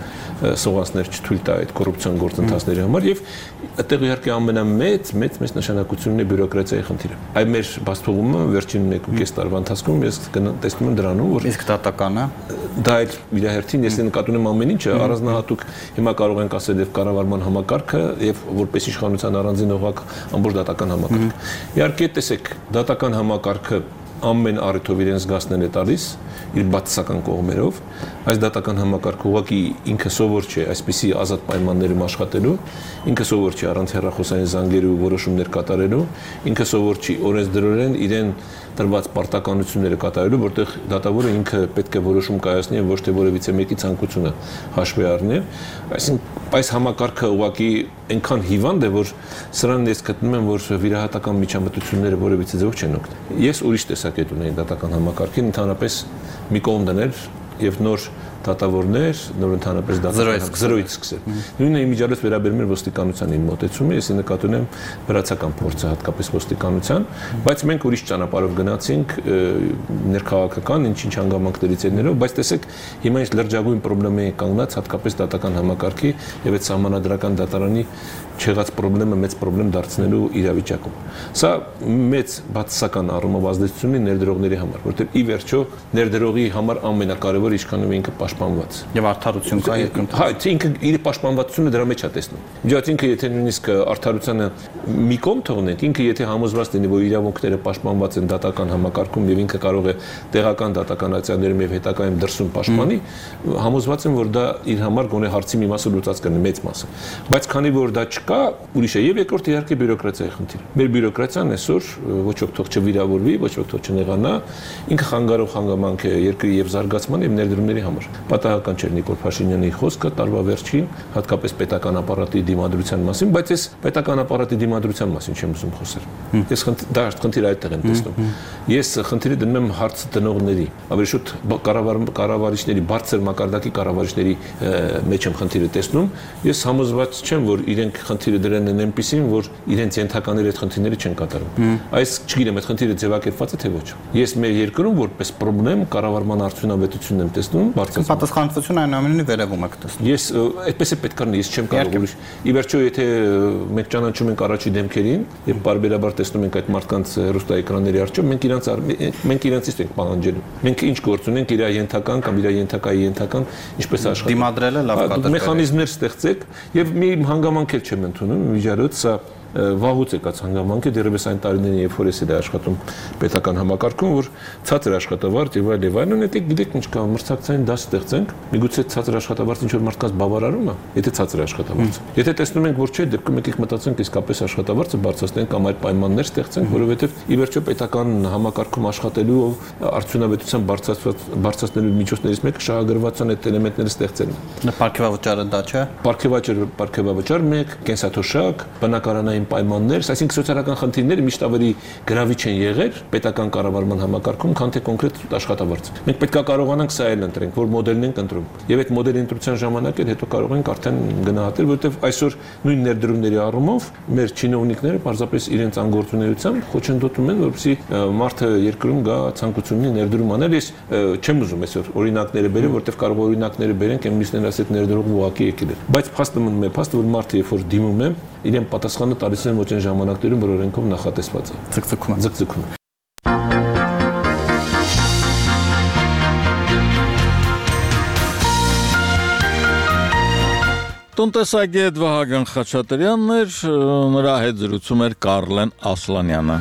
սողանցներ չթույլ տա այդ կոռուպցիոն գործընթացների համար եւ այդտեղ իհարկե ամենամեծ մեծ մեծ նշանակությունն է բյուրոկրատիայի խնդիրը։ Այ մեր բացթողումը վերջին մեկ ու կես տարվա ընթացքում ես տեսնում եմ դրանում, որ իսկ դատականը դա էլ իր հերթին ես նկատում եմ ամեն ինչը առանձնահատուկ հիմա կարող ենք ասել եւ կառավարման համակարգը եւ որպես իշխանության առանձին օղակ ամբողջ դատական համակարգը։ Իհարկե տեսեք, դատական համակարգը ամեն առիթով իրեն զգացնել է տալիս իր բացասական կողմերով, այս դատական համակարգը ուղղակի ինքը սովոր չէ այսպիսի ազատ պայմաններում աշխատելու, ինքը սովոր չի առանց հեռախոսային զանգերի ու որոշումներ կատարելու, ինքը սովոր չի օրենսդրորեն իրեն տրված պարտականությունները կատարելու, որտեղ դատավորը ինքը պետք է որոշում կայացնի եւ ոչ թե որևիցե մեկի ցանկությունը հաշվի առնել, այսինքն այս համակարգը ուղղակի այնքան հիվանդ է, որ սրան ես գտնում եմ, որ վիրահատական միջամտությունները որևիցե ձեւով չեն օգնել։ Ես ուրիշ տեսակետ ունեի դատական համակարգին, ընդհանրապես մի կողմ դնել եւ նոր դատավորներ, նոր ընդհանրապես դատական զրոյից սկսել։ Նույնը իմիջիալոց վերաբերում է ոստիկանության իմ մոտեցումը, ես նկատում եմ վրացական փորձը հատկապես ոստիկանության, բայց մենք ուրիշ ճանապարհով գնացինք ներքաղաքական ինչ-ինչ հանգամանքներից ելնելով, բայց տեսեք, հիմա այս լրջագույն խնդրի է կանգնած հատկապես դատական համակարգի եւ այդ համանadrական դատարանի չեղած խնդրը մեծ խնդրեմ դարձնելու իրավիճակում։ Սա մեծ բացասական առումով ազդեցություն ունի ներդրողների համար, որտեղ ի վերջո ներդրողի համար ամենակարևորը ինչքանով ինքը պաշտպանված։ Եվ արդարություն կա երկրում։ Հա, ինքը իր պաշտպանվածությունը դրա մեջ է տեսնում։ Իհարկե ինքը եթե նույնիսկ արդարությանը մի կողմ թողնենք, ինքը եթե համոզված լինի, որ իրավունքները պաշտպանված են դատական համակարգում եւ ինքը կարող է տեղական դատական ակցիաներում եւ հետագայում դրսում պաշտպանի, համոզված եմ, որ դա իր համար գոնե հարցի մի մասը լուծած կլինի, մեծ մասը։ Բայց քանի որ դա կա ուրիշ է եւ երկրորդ իհարկե բյուրոկրատիայի խնդիրը։ Մեր բյուրոկրատիան այսօր ոչ ոք թող չվիրավորվի, ոչ ոք թող չնեղանա, ինքը խանգարող հանգամանք է երկրի եւ զարգացման եւ ներդրումների համար։ Պատահական չէր Նիկոլ Փաշինյանի խոսքը տարվա վերջին, հատկապես պետական ապարատի դիմադրության մասին, բայց ես պետական ապարատի դիմադրության մասին չեմ ուզում խոսել։ Ես դա խնդիրը այդտեղ եմ տեսնում։ Ես խնդիրը դնում եմ հարցը տնողների, ավելի շուտ կառավարիչների, բարձր մակարդակի կառավարիչների մեջ եմ խնդիրը տեսնում։ Ես համոզված չեմ, որ իրենք խնդիրը դրան են այնպեսին, որ իրենց ենթականները այդ խնդիրները չեն կատարում։ Այս չգիտեմ, այդ խնդիրը ձևակերպված է թե ոչ։ Ես մեր երկրում որպես խնդրեմ կառավարման արդյունավետությունն եմ տեսնում, բարձր պատասխանատվություն այնուամենայնիվ վերևում եք տեսնում։ Ես այդպես է պետք է, ես չեմ կարող ուրիշ։ Ի վերջո, եթե մենք ճանաչում ենք առաջի դեմքերին եւ բարբերաբար տեսնում ենք այդ մարդկանց հեռուստաէկրանների առջեւ, մենք իրանց մենք իրանցից ենք պահանջելու։ Մենք ինչ գործ ունենք իր ենթական կամ իր ենթակայի ենթական ինչպես աշխատել։ Դիմադրելը լավ կատարել։ Մեխանիզմներ ստեղծեք եւ մի հանգամանք էլ չեմ ընդունում, միջարոց սա վաղուց եկած հանգամանք է, դեռևս այն տարիներին, երբ որ ես էլ աշխատում պետական համակարգում, որ ցածր աշխատավարձ եւ այլ եւ այլն, դե գիտեք ինչ կա, մրցակցային դաս ստեղծենք, միգուցե ցածր աշխատավարձ ինչ որ մարդկանց բավարարում է, եթե ցածր աշխատավարձ։ Եթե տեսնում ենք, որ չէ, դեպքում եկեք մտածենք իսկապես աշխատավարձը բարձրացնենք կամ այլ պայմաններ ստեղծենք, որովհետեւ ի վերջո պետական համակարգում աշխատելու արդյունավետության բարձրացնելու միջոցներից մեկը շահագրգռվածության այդ էլեմենտները ստեղծելն է։ Պարգևավճարը դա չէ։ Պարգևավճար, պարգևավճար մեկ, կենսաթոշակ, բնակարանային են պայմաններ, այսինքն սոցիալական խնդիրները միշտ ավելի գրավիչ են եղել պետական կառավարման համակարգում, քան թե կոնկրետ աշխատավարձ։ Մենք պետք է կարողանանք սա էլ ընտրենք, որ մոդելն ենք ընտրում։ Եւ այդ մոդելի ընտրության ժամանակ էլ հետո կարող ենք արդեն գնահատել, որովհետեւ այսօր նույն ներդրումների առումով մեր չինովնիկները պարզապես իրենց անգործունեությամբ խոչընդոտում են, որպեսզի մարդը երկրում գա ցանկություն ունի ներդրում անել։ Ես չեմ ուզում այսօր օրինակները բերեմ, որովհետեւ կարող է օրինակները բերենք, այն մյուսներն ասել ներդրողը ուղակի եկել է։ Բայց փաստը մնում է, փաստը որ մարդը երբ որ դիմում է, իրեն պատասխանը տալիս են ոչ այն ժամանակներում, որ օրենքով նախատեսված է։ Ձգձգում է։ Ձգձգում է։ Տնտեսագետ Վահագն Խաչատրյանն էր, նրա հետ զրուցում էր Կարլեն Ասլանյանը։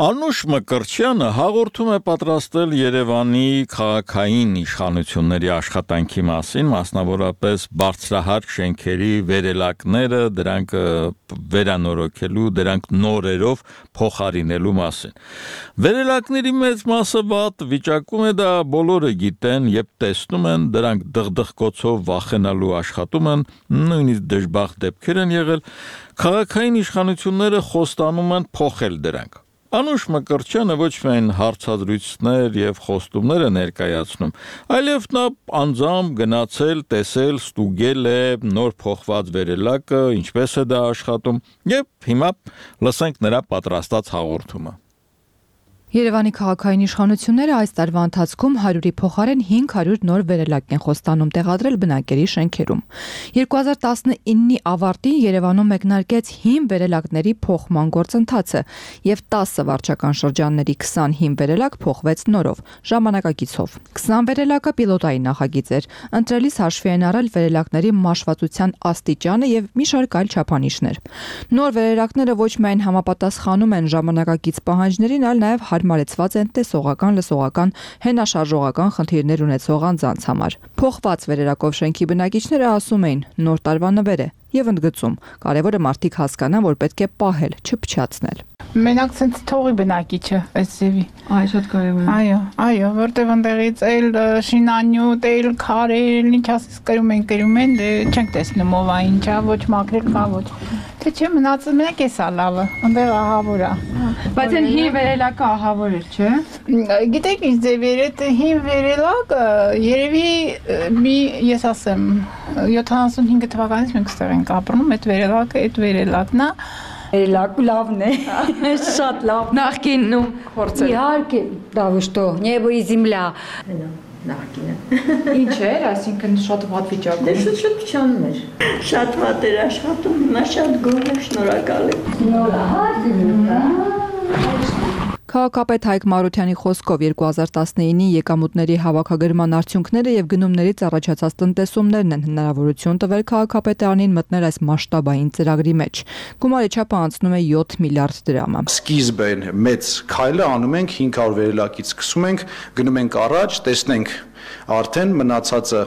Անուշ Մկրտչյանը հաղորդում է պատրաստել Երևանի քաղաքային իշխանությունների աշխատանքի մասին, մասնավորապես բարձրահարկ շենքերի վերելակները, դրանք վերանորոգելու, դրանք նորերով փոխարինելու մասին։ Վերելակների մեծ մասը վատ վիճակում է, դա բոլորը գիտեն եւ տեսնում են, դրանք դղդղկոցով վախենալու աշխատում են, նույնիսկ դժբախտ դեպքեր են եղել, քաղաքային իշխանությունները խոստանում են փոխել դրանք։ Անուշ Մկրտչյանը ոչ միայն հարցազրույցներ եւ խոստումներ է ներկայացնում, այլև նա անձամբ գնացել, տեսել, ստուգել է նոր փոխված վերելակը, ինչպես է դա աշխատում, եւ հիմա լսենք նրա պատրաստած հաղորդումը։ Երևանի քաղաքային իշխանությունները այս տարվա ընթացքում հարյուրի փոխարեն հինգ հարյուր նոր վերելակ են խոստանում տեղադրել բնակելի շենքերում։ երկու հազար տասնինի ավարտին Երևանում մեկնարկեց հին վերելակների փոխման գործընթացը եւ տասը վարչական շրջանների քսան հին վերելակ փոխվեց նորով, ժամանակակիցով։ քսան վերելակը պիլոտային նախագիծ էր, ընտրելիս հաշվի են առել վերելակների մաշվածության աստիճանը եւ մի շարք այլ չափանիշներ։ Նոր վերելակները ոչ միայն համապատասխանում են ժամանակակից պահանջներին, այլ նաեւ հարմարեցված են տեսողական, լսողական, հենաշարժողական խնդիրներ ունեցող անձանց համար։ Փոխված վերելակով շենքի բնակիչները ասում էին՝ նոր տարվա նվեր է եւ ընդգծում. կարևորը մարդիկ հասկանան, որ պետք է պահել, չփչացնել։ Մենակ ցենց թողի բնակիչը այս ձևի։ Այ շատ կարևոր է։ Այո, այո, որտեվ ընդեղից էլ շինանյութ, էլ քարեր, ինչ ասես կրում են, կրում են, դե չենք տեսնում ով է ինչա, ոչ մաքրել կա, ոչ։ Թե չէ մնացել մենակ էսա լավը, ընդեղ ահավոր է։ Բայց այն հին վերելակը ահավոր էր, չէ։ Գիտեք ինչ ձևեր է, հին վերելակը երևի մի, ես ասեմ, յոթանասունհինգ թվականից մենք ստեղ ենք ապրում, այդ վերելակը, այդ վերելակն է։ Վերելակ լավն է, շատ լավ։ Նախկինն ու փորձել։ Իհարկե, да что, небо и земля։ Նախկինը։ Ինչ էր, այսինքն շատ վատ վիճակում։ Դե շատ փչանում էր։ Շատ վատ էր աշխատում, հիմա շատ գոհ եմ, շնորհակալ եմ։ Շնորհակալ։ Քաղաքապետ Հայկ Մարությանի խոսքով երկու հազար տասնինի եկամուտների հավաքագրման արդյունքները եւ գնումներից առաջացած տնտեսումներն են հնարավորություն տվել քաղաքապետարանին մտնել այս մասշտաբային ծրագրի մեջ։ Գումարի չափը անցնում է յոթ միլիարդ դրամը։ Սկիզբեն մեծ քայլը անում ենք հինգ հարյուր վերելակից սկսում ենք, գնում ենք առաջ, տեսնենք արդեն մնացածը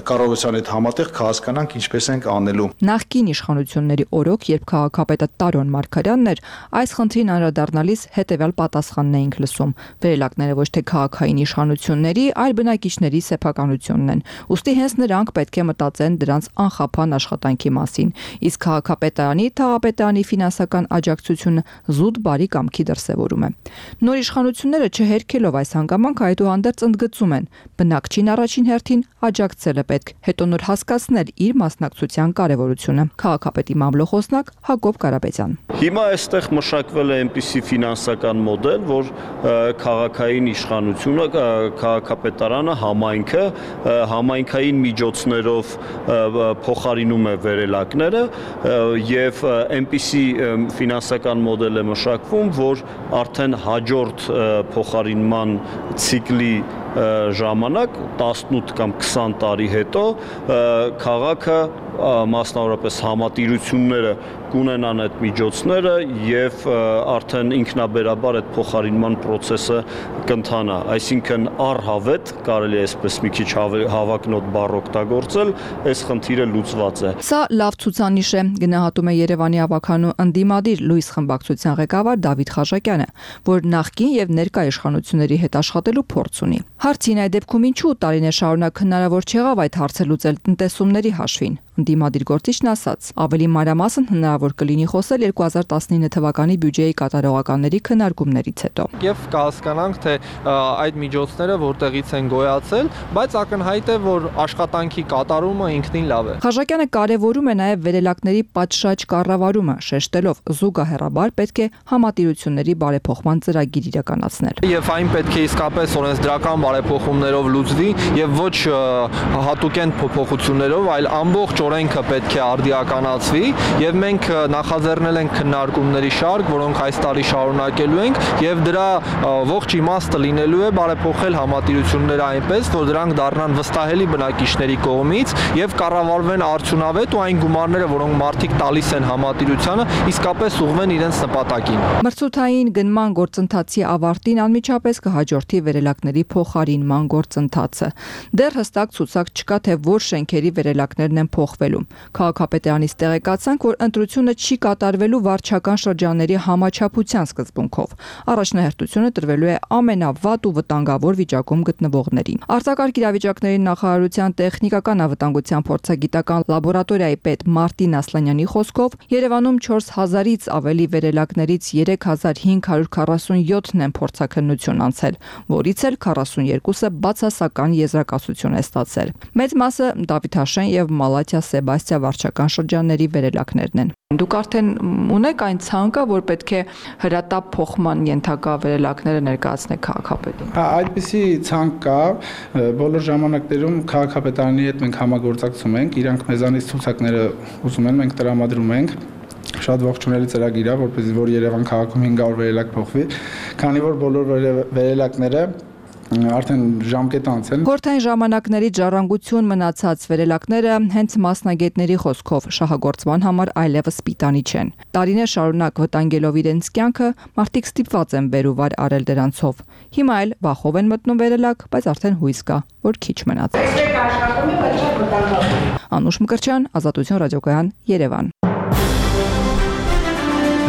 կառավարության հետ համատեղ կհասկանանք ինչպես ենք անելու։ Նախկին իշխանությունների օրոք, երբ քաղաքապետը Տարոն Մարգարյանն էր, այս խնդրին անդրադառնալիս հետևյալ պատասխանն էինք լսում. վերելակները ոչ թե քաղաքային իշխանությունների, այլ բնակիչների սեփականությունն են։ Ուստի հենց նրանք պետք է մտածեն դրանց անխափան աշխատանքի մասին։ Իսկ քաղաքապետարանի, թաղապետարանի ֆինանսական աջակցությունը զուտ բարի կամքի դրսևորում է։ Նոր իշխանությունները չհերքելով այս հանգամանքը այդուհանդերձ ընդգծում են. բնակչին առաջին հերթին աջակցել է պետք, հետո նոր հասկացնել իր մասնակցության կարևորությունը։ Քաղաքապետի մամլոխոսնակ Հակոբ Կարապետյան։ Հիմա այստեղ մշակվել է այնպիսի ֆինանսական մոդել, որ քաղաքային իշխանությունը, քաղաքապետարանը, համայնքը համայնքային միջոցներով փոխարինում է վերելակները եւ այնպիսի ֆինանսական մոդել է մշակվում, որ արդեն հաջորդ փոխարինման ցիկլի ժամանակ տասնութ կամ քսան տարի հետո քաղաքը մասնավորապես համատիրությունները կունենան այդ միջոցները եւ արդեն ինքնաբերաբար այդ փոխարինման process-ը կընթանա, այսինքն առհավետ կարելի է այսպես մի քիչ հավակնոտ բառ օգտագործել, այս խնդիրը լուծված է։ Սա լավ ցուցանիշ է, գնահատում է Երևանի ավականու ընդդիմադիր լույս խմբակցության ղեկավար Դավիթ Խաչակյանը, որ նախկին եւ ներկա իշխանությունների հետ աշխատելու փորձ ունի։ Հարցին այդ դեպքում ինչու տարիներ շարունակ հնարավոր չեղավ այդ հարցը լուծել տնտեսումների հաշվին։ Ընդդիմադիր գործիչն ասաց, ավելի մանրամասն հնարավոր կլինի խոսել երկու հազար տասնինը թվականի բյուջեի կատարողականների քննարկումներից հետո։ Եվ կհասկանանք, թե այդ միջոցները որտեղից են գոյացել, բայց ակնհայտ է, որ աշխատանքի կատարումը ինքնին լավ է։ Խաչակյանը կարևորում է նաև վերելակների պատշաճ կառավարումը, շեշտելով զուգահեռաբար պետք է համատիրությունների բարեփոխման ծրագիր իրականացնել։ Եվ այն պետք է իսկապես օրենսդրական բարեփոխումներով լուծվի եւ ոչ հատուկեն փոփոխություններով, այլ ամբողջ օրենքը պետք է արդիականացվի եւ մենք նախաձեռնել ենք քննարկումների շարք, որոնք այս տարի շարունակելու ենք եւ դրա ողջ իմաստը լինելու է բարեփոխել համատիրությունները այնպես, որ դրանք դառնան վստահելի բնակիչների կողմից եւ կառավարվեն արդյունավետ ու այն գումարները, որոնք մարդիկ տալիս են համատիրությանը, իսկապես ուղղվեն իրենց նպատակին։ Մրցութային գնման գործընթացի ավարտին անմիջապես կհաջորդի վերելակների փոխարինման գործընթացը։ Դեռ հստակ ցուցակ չկա, թե որ շենքերի վերելակներն են փոխվելու։ Քաղաքապետարանից տեղեկացանք, որ ընտրությունը չի կատարվելու վարչական շրջանների համաչափության սկզբունքով։ Առաջնահերթությունը տրվելու է ամենավատ ու վտանգավոր վիճակում գտնվողներին։ Արտակարգ իրավիճակների նախարարության տեխնիկական անվտանգության փորձագիտական լաբորատորիայի պետ Մարտին Ասլանյանի խոսքով Երևանում չորս հազարից ավելի վերելակներից երեք հազար հինգ հարյուր քառասունյոթն են փորձաքննություն անցել, որից էլ քառասունյոթը բացասական եզրակացություն է ստացել։ Մեծ մասը Դավիթաշեն եւ Մալաթիա Սեբաստիա վարչական շրջանների վերելակներն են։ Դուք արդեն ունեք այն ցանկը, որ պետք է հրատապ փոխման ենթակա վերելակները ներկայացնեք քաղաքապետին։ Այդպիսի ցանկ կա, բոլոր ժամանակներում քաղաքապետարանի հետ մենք համագործակցում ենք, իրանք մեզանից ցուցակները ուզում են, մենք տրամադրում ենք։ Շատ ողջունելի ծրագիր է, որպեսզի որ Երևան քաղաքում հինգ հարյուր վերելակ փոխվի, քանի որ բոլոր վերելակները արդեն ժամկետ անց են։ Խորհրդային ժամանակների ժառանգություն մնացած վերելակները հենց մասնագետների խոսքով շահագործման համար այլևս պիտանի չեն։ Տարիներ շարունակ վտանգելով իրենց կյանքը, մարդիկ ստիպված են բերուվար արել դրանցով։ Հիմա էլ վախով են մտնում վերելակ, բայց արդեն հույս կա, որ քիչ մնաց։ Անուշ Մկրտչյան, Ազատություն ռադիոկայան, Երևան։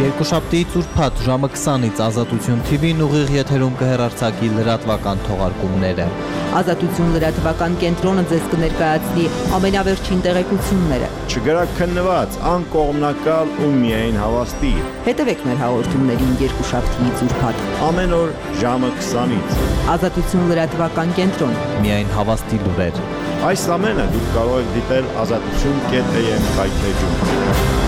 Երկուշաբթի ծուրփաթ ժամը քսանից Ազատություն թի վին ուղիղ եթերում կհեռարձակի լրատվական թողարկումները։ Ազատություն լրատվական կենտրոնը ձեզ կներկայացնի ամենավերջին տեղեկությունները։ Չգրաքննված, անկողմնակալ ու միայն հավաստի։ Հետևեք մեր հաղորդումներին երկուշաբթի ծուրփաթ ամեն օր ժամը քսանից։ Ազատություն լրատվական կենտրոն։ Միայն հավաստի լուրեր։ Այս ամենը դուք կարող եք դիտել ազատություն կետ էյ էմ կայքեջում։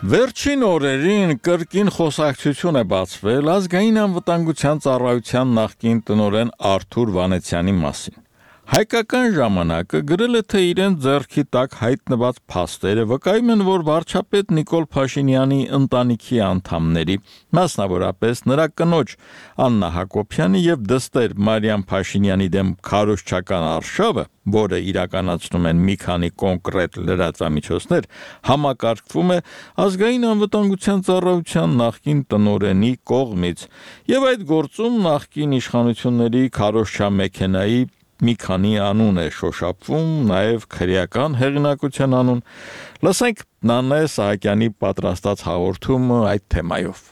Վերջին օրերին կրկին խոսակցություն է բացվել ազգային անվտանգության ծառայության նախկին տնօրեն Արթուր Վանեցյանի մասին։ Հայկական ժամանակը գրել է, թե իրեն ձեռքի տակ հայտնված փաստերը վկայում են, որ վարչապետ Նիկոլ Փաշինյանի ընտանիքի անդամների, մասնավորապես նրա կնոջ Աննա Հակոբյանի եւ դստեր Մարիամ Փաշինյանի դեմ քարոզչական արշավը, որը իրականացնում են մի քանի կոնկրետ լրատվամիջոցներ, համակարգվում է ազգային անվտանգության ծառայության նախկին տնօրենի կողմից, եւ այդ գործում նախկին իշխանությունների քարոզչամեքենայի մի քանի անուն է շոշափվում, նաև քրեական հեղինակության անուն։ Լսենք Նանե Սահակյանի պատրաստած հաղորդումը այդ թեմայով։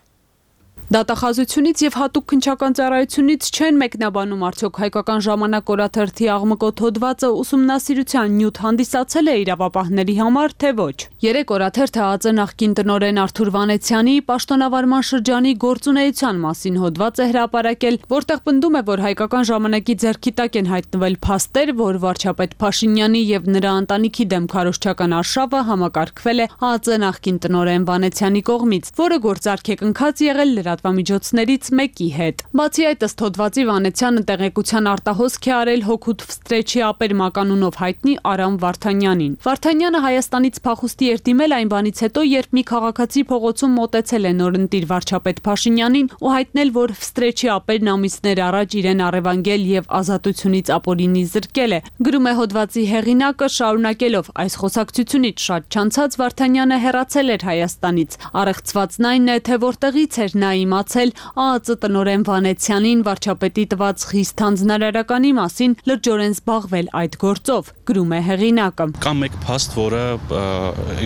Դատախազությունից եւ հատուկ քննչական ծառայությունից չեն մեկնաբանում արդյոք հայկական ժամանակ օրաթերթի աղմկոտ հոդվածը ուսումնասիրության նյութ հանդիսացել է իրավապահների համար, թե ոչ։ Երեք օրաթերթը ԱԾ նախկին տնօրեն Արթուր Վանեցյանի պաշտոնավարման շրջանի գործունեության մասին հոդված է հրապարակել, որտեղ պնդում է, որ հայկական ժամանակի ձեռքի տակ են հայտնվել փաստեր, որ վարչապետ Փաշինյանի եւ նրա ընտանիքի դեմ քարոզչական արշավը համակարգվել է ԱԾ նախկին տնօրեն Վանեցյանի կողմից, որը գործարք է կնքած եղել լրատվամիջոցներից մեկի հետ։ Բացի այդ, ըստ հոդվածի, Վանեցյանը տեղեկության արտահոսք է արել հօգուտ վստրեչի ապեր մականունով հայտնի Արամ Վարդանյանին։ Վարդանյանը Հայաստանից փախուստի էր դիմել այն բանից հետո, երբ մի քաղաքացի փողոցում մոտեցել է նորընտիր վարչապետ Փաշինյանին ու հայտնել, որ վստրեչի ապերն ամիսներ առաջ իրեն առևանգել եւ ազատությունից ապօրինի զրկել է։ Գրում է հոդվածի հեղինակը, շարունակելով այս խոսակցությունից շատ չանցած Վարդանյանը հեռացել էր Հայաստանից։ Առեղծվածն այն է, թե որտեղից էր նա իմացել ԱԱԾ տնօրեն Վանեցյանին վարչապետի տված խիստ հանձնարարականի մասին լրջորեն զբաղվել այդ գործով, գրում է հեղինակը։ Կա մեկ փաստ, որը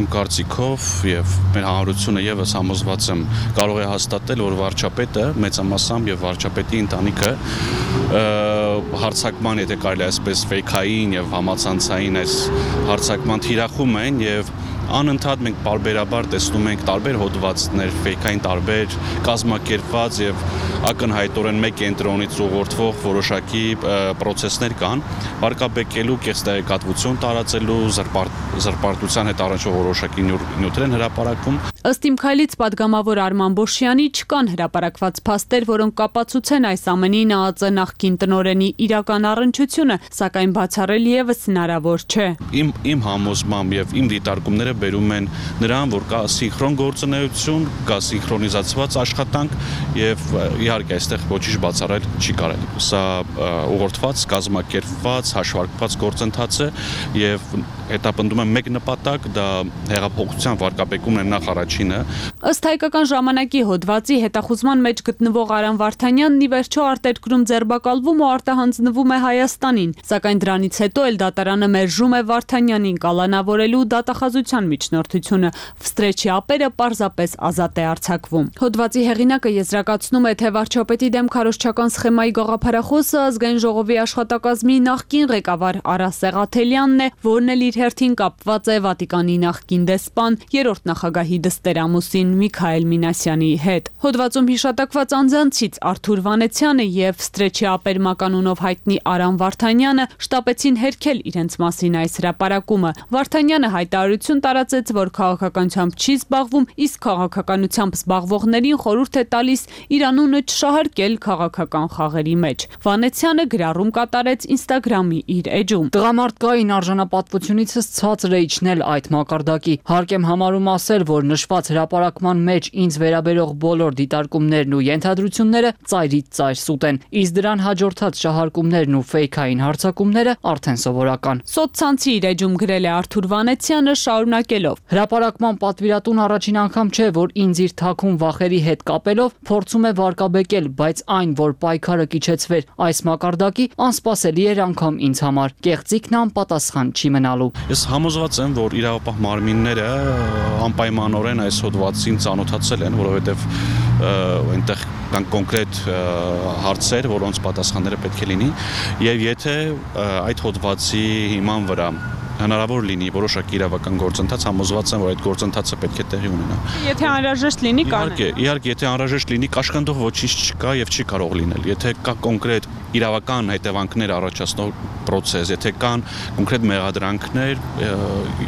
իմ կարծիքով եւ մեր հանրությունը եւս համոզված եմ կարող է հաստատել, որ վարչապետը մեծամասամբ եւ վարչապետի ընտանիքը հարցակման, եթե կարելի է այսպես ֆեյքային եւ համացանցային այս հարցակման թիրախում են եւ անընդհատ մենք բարբերաբար տեսնում ենք տարբեր հոդվածներ, ֆեյքային տարբեր կազմակերպված եւ ակնհայտորեն մեկ կենտրոնից ուղղորդվող որոշակի պրոցեսներ կան, վարկաբեկելու կեղծ տեղեկատվություն տարածելու, զրպարտության հետ առնչվող որոշակի նյութեր են հրապարակվում։ Ըստ իմ քայլից падգամավոր Արման Բոշյանի չկան հրապարակված փաստեր, որոնք կապացուցեն այս ամենին ԱԱԾ նախկին տնօրենի իրական առնչությունը, սակայն բացառել եւս հնարավոր չէ։ Իմ իմ համոզմամբ եւ իմ դիտարկումները բերում են նրան, որ կա սինխրոն գործունեություն, կա սինխրոնիզացված աշխատանք եւ իհարկե այստեղ ոչինչ բացառել չի կարելի։ Սա ուղղորդված, կազմակերպված, հաշվարկված գործընթաց է եւ հետապնդում եմ մեկ նպատակ, դա հեղափոխության վարկաբեկումն է նախ առաջինը։ Ըստ Հայկական ժամանակի հոդվածի հետախուզման մեջ գտնվող Արամ Վարդանյանն ի վերջո արտերկրում ձերբակալվում ու արտահանձնվում է Հայաստանին, սակայն դրանից հետո էլ դատարանը մերժում է Վարդանյանին կալանավորելու դատախազության միջնորդությունը։ Վստրեչի ապերը պարզապես ազատ է արձակվում։ Հոդվածի հեղինակը եզրակացնում է, թե վարչապետի դեմ քարոզչական սխեմայի գաղափարախոսը ազգային ժողովի աշխատակազմի նախկին ղեկավար Արա Սեղաթելյանն է, որն էլ իր հերթին կապված է Վատիկանի նախկին դեսպան, երրորդ նախագահի դստերամուսին Միքայել Մինասյանի հետ։ Հոդվածում հիշատակված անձանցից Արթուր Վանեցյանը եւ վստրեչի ապեր մականունով հայտնի Արամ Վարդանյանը շտապեցին հերքել իրենց մասին այս հրապարակումը։ Վարդանյանը հայտարարություն տարածեց, որ քաղաքականությամբ չի զբաղվում, իսկ քաղաքականությամբ զբաղվողներին խորհուրդ է տալիս իր անունը չշահարկել քաղաքական խաղերի մեջ։ Վանեցյանը գրառում կատարեց Instagram-ի իր էջում։ Տղամարդկային արժանապատվությունիցս ցածր է իջնել այդ մակարդակի։ Հարկ եմ համարում ասել, որ նշված հրապարակման մեջ ինձ վերաբերող բոլոր դիտարկումներն ու ենթադրությունները ծայրից ծայր սուտ են, իսկ դրան հաջորդած շահարկումներն ու ֆեյքային հարձակումները արդեն սովորական։ Սոցցանցի իր էջում գրել է Արթուր Վանեցյանը, շարունակելով. Հրապարակման պատվիրատուն առաջին անգամ չէ, որ ինձ իր թաքուն վախերի հետ կապելով փորձում է վարկաբեկել, բայց այն, որ պայքարը կիչեցվեր այս մակարդակի, անսպասելի էր անգամ ինձ համար։ Կեղծիքն անպատասխան չի մնալու։ Ես համոզված եմ, որ իրավապահ մարմինները անպայմանորեն այս հոդվածին ծանոթացել են, որովհետև այնտեղ կան կոնկրետ հարցեր, որոնց պատասխանները պետք է լինի, եւ եթե այդ հոդվածի հիման վրա հնարավոր լինի որոշակի իրավական գործընթաց, համոզված եմ, որ այդ գործընթացը պետք է տեղի ունենա։ Եթե անհրաժեշտ լինի, կան։ Իհարկե, իհարկե, եթե անհրաժեշտ լինի, կաշկանդող ոչինչ չկա եւ չի կարող լինել։ Եթե կա կոնկրետ իրավական հետևանքներ առաջացնող process, եթե կան կոնկրետ մեղադրանքներ,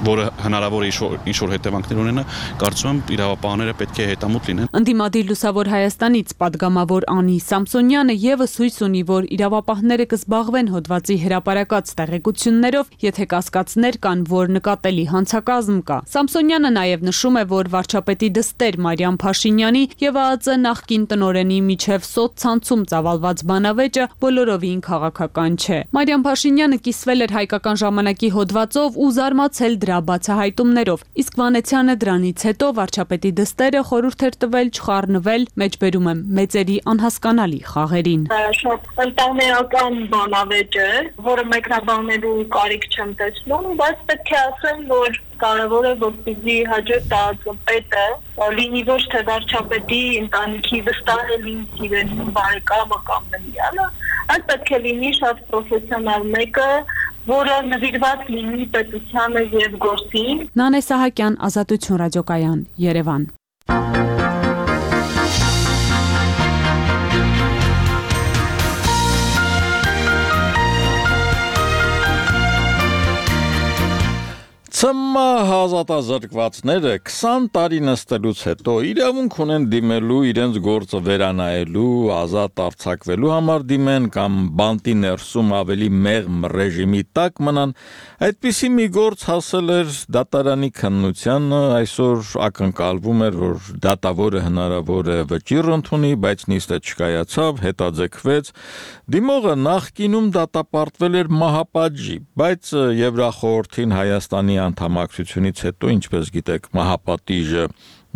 որը հնարավոր է ինչ-որ հետևանքներ ունենա, կարծում եմ իրավապահները պետք է հետամուտ լինեն։ Ընդդիմադիր Լուսավոր Հայաստանից падգամավոր Անի Սամսոնյանը եւս հույս ունի, որ իրավապահները կզբաղվեն հոդվածի հրապարակած տեղեկություններով, եթե կասկածներ կան, որ նկատելի հանցակազմ կա։ Սամսոնյանը նաև նշում է, որ վարչապետի դստեր Մարիամ Փաշինյանի եւ ԱԱԾ նախկին տնօրենի միջև սոցցանցում ծավալված բանավեճը բոլորովին քաղաքական չէ։ Մարիամ Փաշինյանը կիսվել էր Հայկական ժամանակի հոդվածով ու զարմացել դրա բացահայտումներով, իսկ Վանեցյանը դրանից հետո վարչապետի դստերը խորհուրդ էր տվել չխառնվել, մեջբերում եմ մեծերի անհասկանալի խաղերին։ Շատ ընտանեկան բանավեճ է, որը մեկնաբանելու կարիք չեմ տեսնում, բայց պետք է ասեմ, որ կարևոր է, որպեսզի հաջորդ ԱԱԾ-պետը լինի ոչ թե վարչապետի ընտանիքի վստահելի սիրելի բարեկամը կամ նվիրյալը, այլ պետք է լինի շատ պրոֆեսիոնալ մեկը, որը նվիրված լինի պետությանը եւ գործին։ Նանե Սահակյան, Ազատություն ռադիոկայան, Երևան։ Ցմահ ազատազրկվածները քսան տարի նստելուց հետո իրավունք ունեն դիմելու իրենց գործը վերանայելու, ազատ արձակվելու համար դիմեն կամ բանտի ներսում ավելի մեղմ ռեժիմի տակ մնան, այդպիսի մի գործ հասել էր դատարանի քննությանը, այսօր ակնկալվում էր, որ դատավորը հնարավոր է վճիռ ընդունի, բայց նիստը չկայացավ, հետաձգվեց, դիմողը նախկինում դատապարտվել էր մահապատժի, բայց Եվրախորհրդին Հայաստանի անդամակցությունից հետո, ինչպես գիտեք, մահապատիժը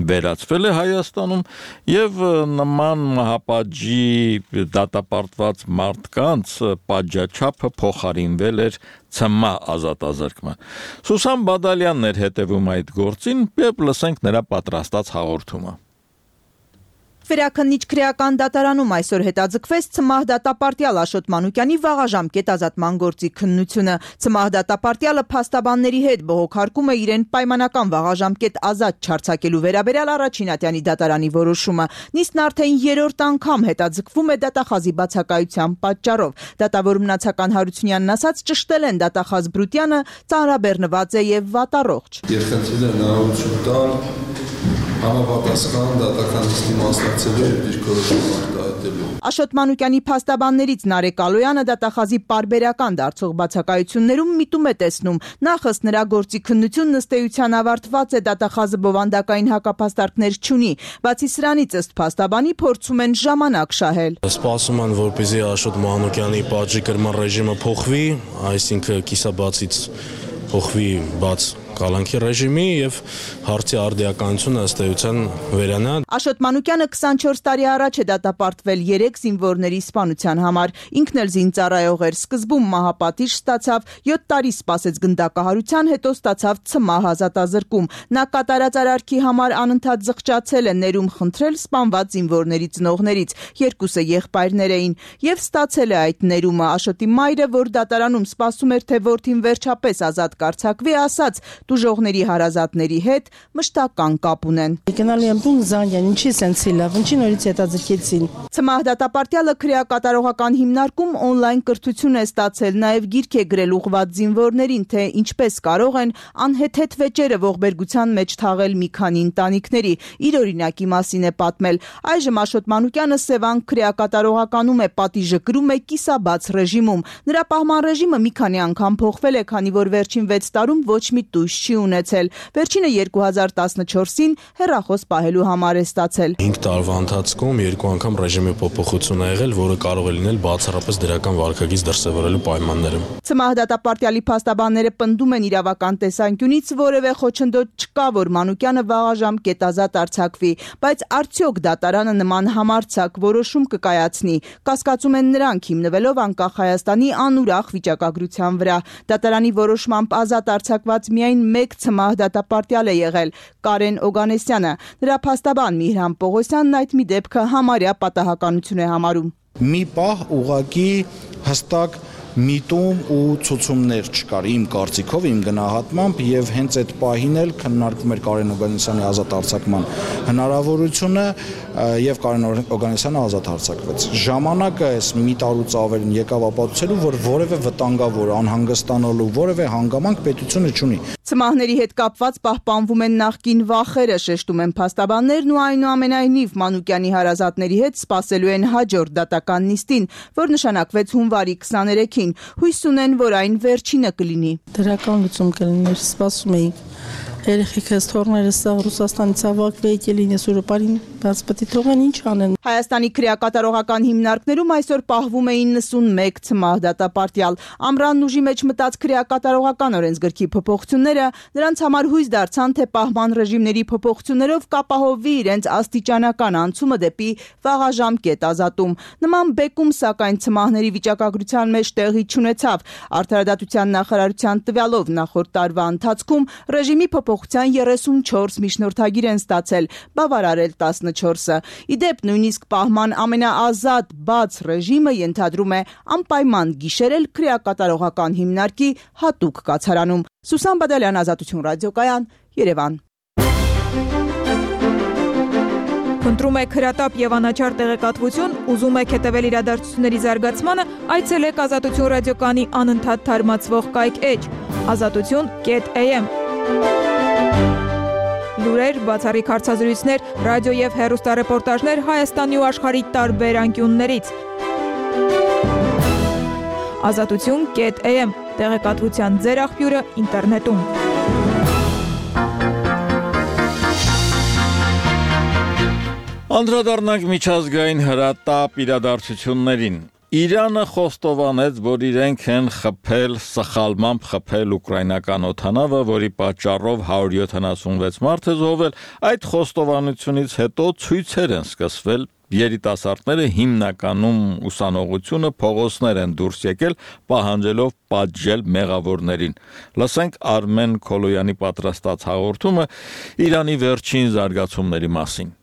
վերացվել է Հայաստանում եւ նման մահապատժի դատապարտված մարդկանց պատժաչափը փոխարինվել էր ցմահ ազատազրկման։ Սուսան Բադալյանն էր հետևում այդ գործին, եւ լսենք նրա պատրաստած հաղորդումը։ Վերաքննիչ քրեական դատարանում այսօր հետաձգվեց ցմահ դատապարտյալ Աշոտ Մանուկյանի վաղաժամկետ ազատման գործի քննությունը։ Ցմահ դատապարտյալը փաստաբանների հետ բողոքարկում է իրեն պայմանական վաղաժամկետ ազատ չարձակելու վերաբերյալ առաջին ատյանի դատարանի որոշումը։ Նիստն արդեն երրորդ անգամ հետաձգվում է դատախազի բացակայության պատճառով։ Դատավոր Մնացական Հարությունյանն ասաց, ճշտել են դատախազ Բրուտյանը, ծանրաբեռնված է եւ վատառողջ։ Երկխնդրել են հնարավորություն տալ համապատասխան դատական նիստի մասնակցելու եւ դիրքորոշում արտահայտելու։ Աշոտ Մանուկյանի փաստաբաններից Նարեկ Ալոյանը դատախազի պարբերական դարձող բացակայություններում միտում է տեսնում։ Նախ ըստ նրա գործի քննությունն ըստ էության ավարտված է, դատախազը բովանդակային հակապաստարկներ չունի։ Բացի սրանից ըստ փաստաբանի փորձում են ժամանակ շահել։ Սպասում են, որպեսզի Աշոտ Մանուկյանի պատժի կրման ռեժիմը փոխվի, այսինքն կիսաբացից փոխվի բաց կալանքի ռեժիմի եւ հարցի արդիականությունը ըստ էության վերանա։ Աշոտ Մանուկյանը քսանչորս տարի առաջ է դատապարտվել երեք զինվորների սպանության համար։ Ինքն էլ զինծառայող էր, սկզբում մահապատիժ ստացավ, յոթ տարի սպասեց գնդակահարության, հետո ստացավ ցմահ ազատազրկում։ Նա կատարած արարքի համար անընդհատ զղջացել է, ներում խնդրել սպանված զինվորների ծնողներից, երկուսը եղբայրներ էին, եւ ստացել է այդ ներումը։ Աշոտի մայրը, որ դատարանում սպասում էր, թե որդին վերջապես ազատ կարձակվի, ասաց դուժողների հարազատների հետ մշտական կապ ունեն։ Գնալի եմ տուն Զանգյան, ինչի սենցի լավ, ինչի նորից հետաձգեցին։ Ցմահ դատապարտյալը քրեակատարողական հիմնարկում օնլայն կրթություն է ստացել, նաև գիրք է գրել ուղղված զինվորներին, թե ինչպես կարող են անհեթեթ վեճերը ողբերգության մեջ թաղել մի քանի ընտանիքների։ Իր օրինակի մասին է պատմել։ Այժմ Աշոտ Մանուկյանը Սևան քրեակատարողականում է, պատիժը կրում է կիսաբաց ռեժիմում։ Նրա պահման ռեժիմը մի քանի անգամ փոխվել է, քանի որ վերջին վեց տարում ոչ մի տույժ չի ունեցել։ Վերջինը երկու հազար տասնչորսին հեռախոս պահելու համար է ստացել։ հինգ տարվա ընթացքում երկու անգամ ռեժիմի փոփոխություն ա եղել, որը կարող է լինել բացառապես դրական վարքագիծ դրսևորելու պայմաններում։ Ցմահ դատապարտյալի փաստաբանները պնդում են իրավական տեսանկյունից որևէ խոչընդոտ չկա, որ Մանուկյանը վաղաժամկետ ազատ արձակվի, բայց արդյոք դատարանը նման համարձակ որոշում կկայացնի։ Կասկածում են նրանք, հիմնվելով անկախ Հայաստանի անուրախ վիճակագրության վրա։ Դատարանի որոշմամբ ազատ արձակված միայն մեկ ցմահ դատապարտյալ է եղել՝ Կարեն Օգանեսյանը։ Նրա փաստաբան Միհրան Պողոսյանն այդ մի դեպքը համարյա պատահականություն է համարում։ Մի պահ ուղղակի հստակ միտում ու ցուցումներ չկար իմ կարծիքով, իմ գնահատմամբ, եւ հենց այդ պահին էլ քննարկվում էր Կարեն Օգանեսյանի ազատ արձակման հնարավորությունը եւ Կարեն Օգանեսյանը ազատ արձակվեց։ Ժամանակը այս մի տարուց ավելին եկավ ապացուցելու, որ որևէ վտանգավոր, անհանգստանալու որևէ հանգամանք պետությունը չունի։ Ցմահների հետ կապված պահպանվում են նախկին վախերը, շեշտում են փաստաբաններն ու այնուամենայնիվ Մանուկյանի հարազատների հետ սպասելու են հաջորդ դատական նիստին, որ նշանակվեց հունվարի քսաներեքին։ Հույս ունեն, որ այն վերջինը կլինի։ Դրական լուծում կլիներ, սպասում էինք։ Երեխեքս թորներս սա Ռուսաստանից ավակվեի կլինես Եվրոպային, բայց պետք է թողեն ինչ անեն։ Հայաստանի քրեակատարողական հիմնարկներում այսօր պահվում էին նսունմեկ ցմահ դատապարտյալ։ Ամռանն ուժի մեջ մտած քրեակատարողական օրենսգրքի փոփոխությունները նրանց համար հույս դարձան, թե պահման ռեժիմների փոփոխություններով կապահովվի իրենց աստիճանական անցումը դեպի վաղաժամկետ ազատում։ Նման բեկում, սակայն ցմահների վիճակագրության մեջ տեղի չունեցավ։ Արդարադատության նախարարության տվյալով նախորդ տարվա ընթացքում ռեժիմի փոփոխության երեսունչորս միջնորդագիր են ստացել, բավարարել տասնչորսը։ Իդեպ նույնիսկ պահման ամենաազատ բաց ռեժիմը ենթադրում է անպայման գիշերել քրեակատարողական հիմնարկի հատուկ կացարանում։ Սուսան Բադալյան, Ազատություն ռադիոկայան, Երևան։ Փնտրում եք հրատապ եւ անաչառ տեղեկատվություն, ուզում եք հետևել իրադարձությունների զարգացմանը, այցելեք Ազատություն ռադիոկայանի անընդհատ թարմացվող կայք էջ ազատություն կետ էյ էմ։ Լուրեր, բացառիկ հարցազրույցներ, ռադիո եւ հեռուստառեպորտաժներ Հայաստանի ու աշխարհի տարբեր անկյուններից։ Ազատություն կետ էյ էմ տեղեկատվության ձեր աղբյուրը ինտերնետում։ Անդրադառնանք միջազգային հրատապ իրադարձություններին։ Իրանը խոստովանեց, որ իրենք են խփել, սխալմամբ խփել ուկրաինական օդանավը, որի պատճառով հարյուր յոթանասունվեց մարդ է զոհվել։ Այդ խոստովանությունից հետո ցույցեր են սկսվել, երիտասարդները հիմնականում ուսանողությունը փողոցներ են դուրս եկել, պահանջելով պատժել մեղավորներին։ Լսենք Արմեն Քոլոյանի պատրաստած հաղորդումը Իրանի վերջին զարգացումների մասին։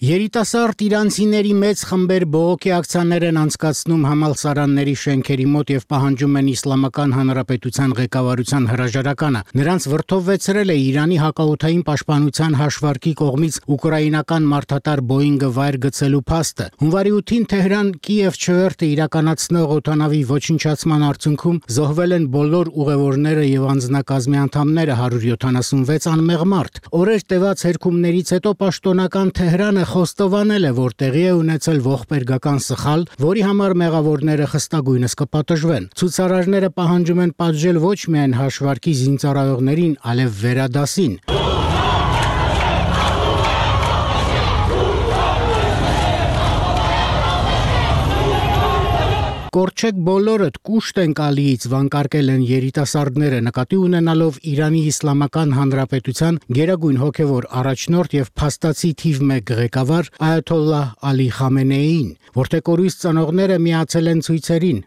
Երիտասարդ իրանցիների մեծ խմբեր բողոքի ակցիաներ են անցկացնում համալսարանների շենքերի մոտ եւ պահանջում են Իսլամական Հանրապետության ղեկավարության հրաժարականը։ Նրանց վրդովվեցրել է Իրանի հակաօդային պաշտպանության հաշվարկի կողմից ուկրաինական մարդատար Boeing-ը վայր գցելու փաստը։ Հունվարի ութին Թեհրան-Կիև չվերթը իրականացնող օդանավի ոչնչացման արդյունքում զոհվել են բոլոր ուղևորները եւ անձնակազմի անդամները հարյուր յոթանասունվեց անմեղ մարդ։ Օրեր տևած հերքումներից հետո պաշտոնական Թեհրանը խոստովանել է, որ տեղի է ունեցել ողբերգական սխալ, որի համար մեղավորները խստագույնս կպատժվեն։ Ցուցարարները պահանջում են պատժել ոչ միայն հաշվարկի զինծառայողներին, այլև վերադասին։ Կորչեք բոլորդ, կուշտ ենք Ալիից, վանկարկել են երիտասարդները, նկատի ունենալով Իրանի Իսլամական Հանրապետության գերագույն հոգևոր առաջնորդ եւ փաստացի թիվ մեկ ղեկավար Այաթոլլահ Ալի Խամենեիին, որտեղ կորույս ծնողները միացել են ցույցերին։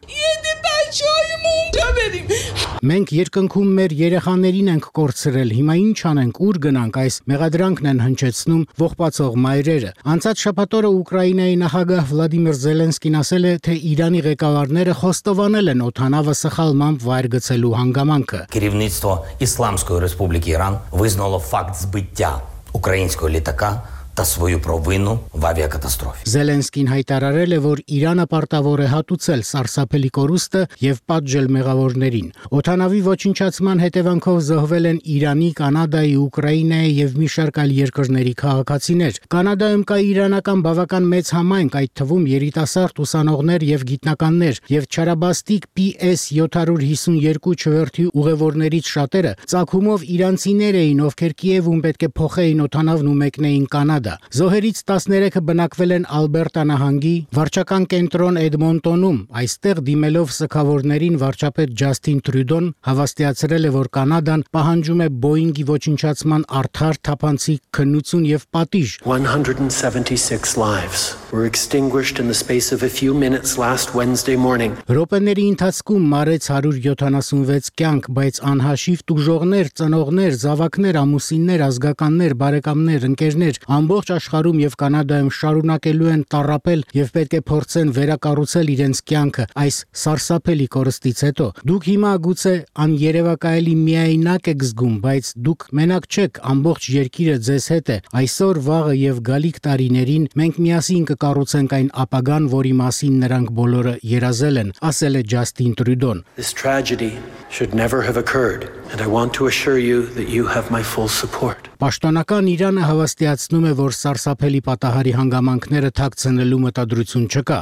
Մենք երկնքում մեր երեխաներին ենք կորցրել, հիմա ինչ անենք, ուր գնանք, այս մեղադրանքն են հնչեցնում ողբացող մայրերը։ Անցած շաբաթ օրը Ուկրաինայի նախագահ Վլադիմիր Զելենսկին ասել է, թե Իրանի ղեկավարները խոստովանել են օդանավը սխալմամբ վայր գցելու հանգամանքը։ Керівництво Ісламської Республіки Іран визнало факт збиття українського літака та свою провину в авіакатастрофі. Զելենսկին հայտարարել է, որ Իրանը պարտավոր է հատուցել սարսափելի կորուստը եւ պատժել մեղավորներին։ Օդանավի ոչնչացման հետևանքով զոհվել են Իրանի, Կանադայի, Ուկրաինայի եւ մի շարք այլ երկրների քաղաքացիներ։ Կանադայում կա իրանական բավական մեծ համայնք, այդ թվում երիտասարդ ուսանողներ եւ գիտնականներ, եւ չարաբաստիկ Պի Էս յոթ հիսունյոթ չվերթի ուղևորներից շատերը ծագումով իրանցիներ էին, ովքեր Կիևում պետք է փոխեին օդանավն ու մեկնեին Կանադա։ Զոհերից տասներեքը բնակվել են Ալբերտա նահանգի վարչական կենտրոն Էդմոնտոնում։ Այստեղ դիմելով սգավորներին վարչապետ Ջասթին Տրյուդոն հավաստիացրել է, որ Կանադան պահանջում է Boeing-ի ոչնչացման արդար, թափանցիկ քննություն եւ պատիժ։ one hundred seventy-six lives were extinguished in the space of a few minutes last Wednesday morning. Րոպեների ընթացքում մարեց հարյուր յոթանասունվեց կյանք, բայց անհաշիվ տուժողներ, ծնողներ, զավակներ, ամուսիններ, ազգականներ, բարեկամներ, ընկերներ ամբողջ աշխարհում եւ Կանադայում շարունակելու են տառապել եւ պետք է փորձեն վերակառուցել իրենց կյանքը այս սարսափելի կորստից հետո։ Դուք հիմա գուցե աներևակայելի միայնակ եք զգում, բայց դուք մենակ չեք, ամբողջ երկիրը ձեզ հետ է։ Այսօր, վաղը եւ գալիք տարիներին մենք միասին կկառուցենք այն ապագան, որի մասին նրանք բոլորը երազել են, ասել է Ջասթին Տրյուդոն։ This tragedy should never have occurred, and I want to assure you that you have my full support. Պաշտոնական Իրանը հավաստիացնում է, որ սարսափելի պատահարի հանգամանքները թաքցնելու մտադրություն չկա։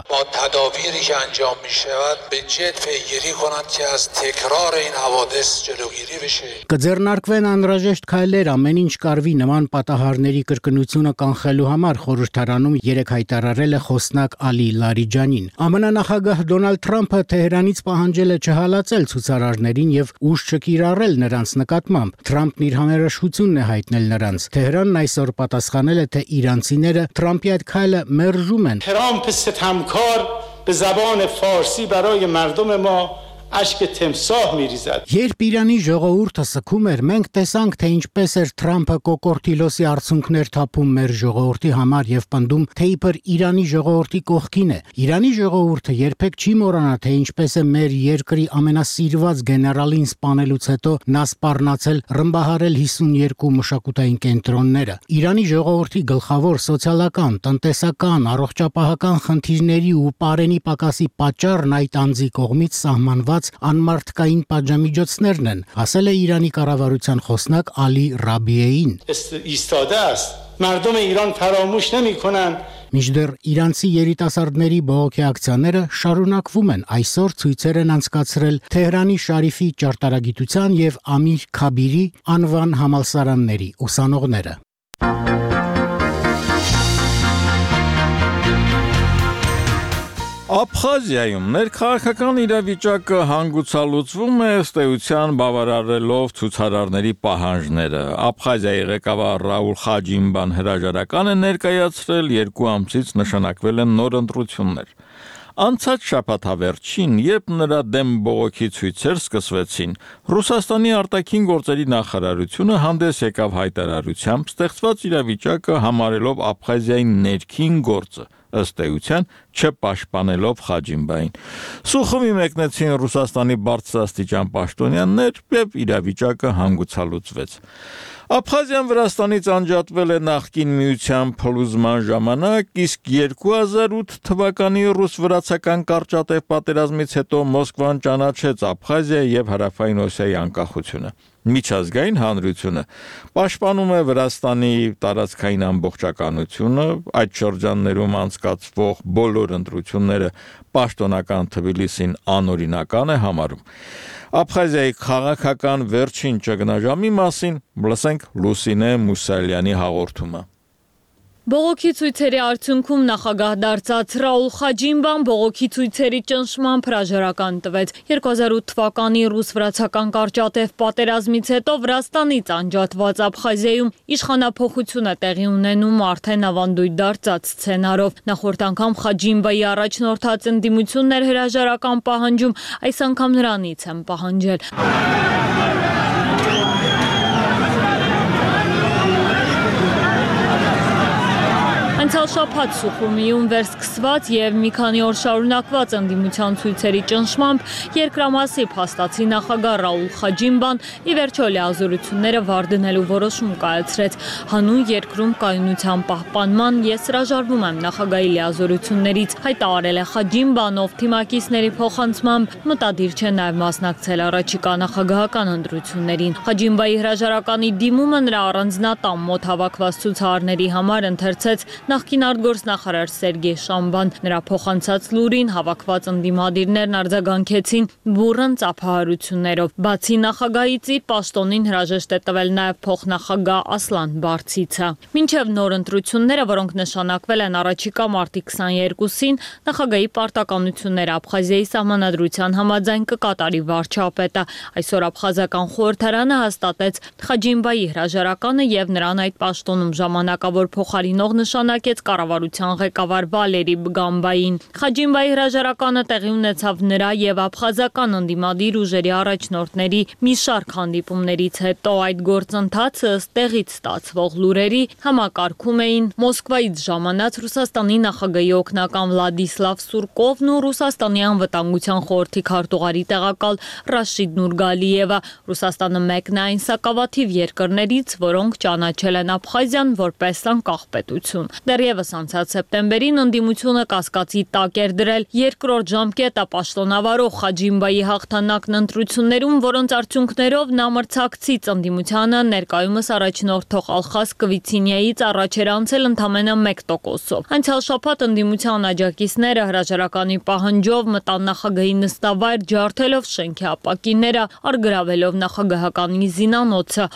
تدابیری که انجام می‌شود به جد پیگیری کنند که از تکرار این حوادث جلوگیری بشه. Կձեռնարկվեն անհրաժեշտ քայլեր ամեն ինչ կարվի նման պատահարների կրկնությունը կանխելու համար, խորհրդարանում երեք հայտարարել է խոսնակ Ալի Լարիջանին։ ԱՄՆ նախագահ Դոնալդ Թրամփը Թեհրանից պահանջել է չհալածել ցուցարարներին եւ ուժ չկիրառել նրանց նկատմամբ։ Թրամփն իր համերաշխությունն է հայտնել նրանց։ Թեհրանն այսօր պատասխանել է, թե իրանցիները Թրամփի այդ քայլը մերժում են։ ترامپ ستمکار به زبان فارسی برای مردم ما اشک تمساح میریزد. Երբ Իրանի ժողովուրդը սգում էր, մենք տեսանք, թե ինչպես էր Թրամփը կոկորտիլոսի արդյունքներ թափում մեր ժողովրդի համար եւ պնդում, թե իբր Իրանի ժողովրդի կողքին է։ Իրանի ժողովուրդը երբեք չի մոռանա, թե ինչպես է մեր երկրի ամենասիրված գեներալին սպանելուց հետո նա սպառնացել ռմբահարել հիսունյոթ մշակութային կենտրոնները։ Իրանի ժողովրդի գլխավոր սոցիալական, տնտեսական, առողջապահական խնդիրների ու պարենի պակասի պատճառն այդ անձի կողմից սահմանված անմարդկային պատժամիջոցներն են, ասել է Իրանի կառավարության խոսնակ Ալի Ռաբիեին։ ایستاده است. مردم ایران فراموش نمی‌کنند. Մինչդեռ իրանցի երիտասարդների բողոքի ակցիաները շարունակվում են։ Այսօր ցույցեր են անցկացրել Թեհրանի Շարիֆի ճարտարագիտության եւ Ամիր Քաբիրի անվան համալսարանների ուսանողները։ Աբխազիայում ներքաղաքական իրավիճակը հանգուցալուծվում է ըստ էության բավարարելով ցուցարարների պահանջները։ Աբխազիայի ղեկավար Ռաուլ Խաջիմբան հրաժարական է ներկայացրել, երկու ամսից նշանակվել են նոր ընտրություններ։ Անցած շաբաթավերջին, երբ նրա դեմ բողոքի ցույցեր սկսվեցին, Ռուսաստանի արտաքին գործերի նախարարությունը հանդես եկավ հայտարարությամբ ստեղծված իրավիճակը համարելով Աբխազիայի ներքին գործը, ըստ էության չպաշտպանելով Խաջիմբային։ Սուխումի մեկնեցին Ռուսաստանի բարձրաստիճան պաշտոնյաներ եւ իրավիճակը հանգուցալուծվեց։ Աբխազիան Վրաստանից անջատվել է նախկին միության փլուզման ժամանակ, իսկ երկու հազար ութ թվականի ռուս-վրացական կարճատև պատերազմից հետո Մոսկվան ճանաչեց Աբխազիա եւ Հարավային Օսիայի անկախությունը։ Միջազգային հանրությունը պաշտպանում է Վրաստանի տարածքային ամբողջականությունը, այդ շրջաններում անցկացվող բոլոր ընտրությունները պաշտոնական Թբիլիսին անօրինական է համարում։ Աբխազիայի քաղաքական վերջին ճգնաժամի մասին լսենք Լուսինե Մուսալյանի հաղորդումը։ Բողոքի ցույցերի արդյունքում նախագահ դարձած Ռաուլ Խաջիմբան բողոքի ցույցերի ճնշմամբ հրաժարական տվեց։ երկու հազար ութ թվականի ռուս-վրացական կարճատև պատերազմից հետո Վրաստանից անջատված Աբխազիայում իշխանափոխություն է տեղի ունենում արդեն ավանդույթ դարձած սցենարով։ Նախորդ անգամ Խաջիմբայի առաջնորդած ընդդիմություններ հրաժարական պահանջում, այս անգամ նրանից են պահանջել։ Անցյալ շաբաթ Սուխումիում վերսկսված եւ մի քանի օր շարունակված ընդդիմության ցույցերի ճնշմամբ երկրամասի փաստացի նախագահ Ռաուլ Խաջիմբան ի վերջո լիազորությունները վարդնելու որոշում կայացրեց։ Հանուն երկրում կայունության պահպանման ես հրաժարվում եմ նախագահի լիազորություններից, հայտարարել է Խաջիմբան, ով թիմակիցների փոխանցմամբ մտադիր չէ նաեւ մասնակցել առաջիկա նախագահական ընտրություններին։ Խաջիմբայի հրաժարականի դիմումը նրա առանձնատան մոտ հավաքված ցուցարարների համար ընթերցեց նախկին արտգործնախարար Սերգեյ Շամբան։ Նրա փոխանցած լուրին հավաքված ընդդիմադիրներն արձագանքեցին բուռն ծափահարություններով։ Բացի նախագահից իր պաշտոնին հրաժեշտ է տվել նաև փոխնախագահ Ասլան Բարցիցը։ Մինչև նոր ընտրությունները, որոնք նշանակվել են առաջիկա մարտի քսաներկուսին, նախագահի պարտականությունները Աբխազիայի սահմանադրության համաձայն կկատարի վարչապետը։ Այսօր աբխազական խորհրդարանը հաստատեց Խաջիմբայի հրաժարականը եւ նրան այդ պաշտոնում ժամանակավոր փոխարինող նշանակեց կառավարության ղեկավար Վալերի Բգամբային։ Խաջիմբայի հրաժարականը տեղի ունեցավ նրա եւ աբխազական ընդդիմադիր ուժերի առաջնորդների մի շարք հանդիպումներից հետո։ Այդ գործընթացը ըստ տեղից ստացվող լուրերի համակարգում էին Մոսկվայից ժամանած Ռուսաստանի նախագահի օգնական Վլադիսլավ Սուրկովն ու Ռուսաստանի անվտանգության խորհրդի քարտուղարի տեղակալ Ռաշիդ Նուրգալիևը։ Ռուսաստանը մեկն է այն սակավաթիվ երկրներից, որոնք ճանաչել են Աբխազիան որպես անկախ պետություն։ Դեռևս անցած սեպտեմբերին ընդդիմությունը կասկածի տակ էր դրել երկրորդ ժամկետը պաշտոնավարող Խաջիմբայի հաղթանակն ընտրություններում, որոնց արդյունքներով նա մրցակցից ընդդիմությանը ներկայումս առաջնորդող Ալխաս Կվիցինյայից առաջ էր անցել ընդամենը մեկ տոկոսով։ Անցյալ շաբաթ ընդդիմության աջակիցները հրաժարականի պահանջով մտան նախագահի նստավայր, ջարդելով շենքի ապակիները, առգրավելով նախագահականի զինանոցը։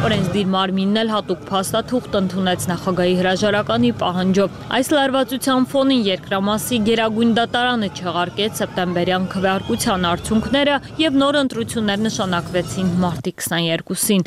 Օրենսդիր մարմինն էլ հատուկ փաստաթուղթ ընդունեց նախագահի հրաժարականի պահանջով։ Այս լարվածության ֆոնին երկրամասի գերագույն դատարանը չեղարկեց սեպտեմբերյան քվեարկության արդյունքները եւ նոր ընտրություններ նշանակվեցին մարտի քսաներկուսին։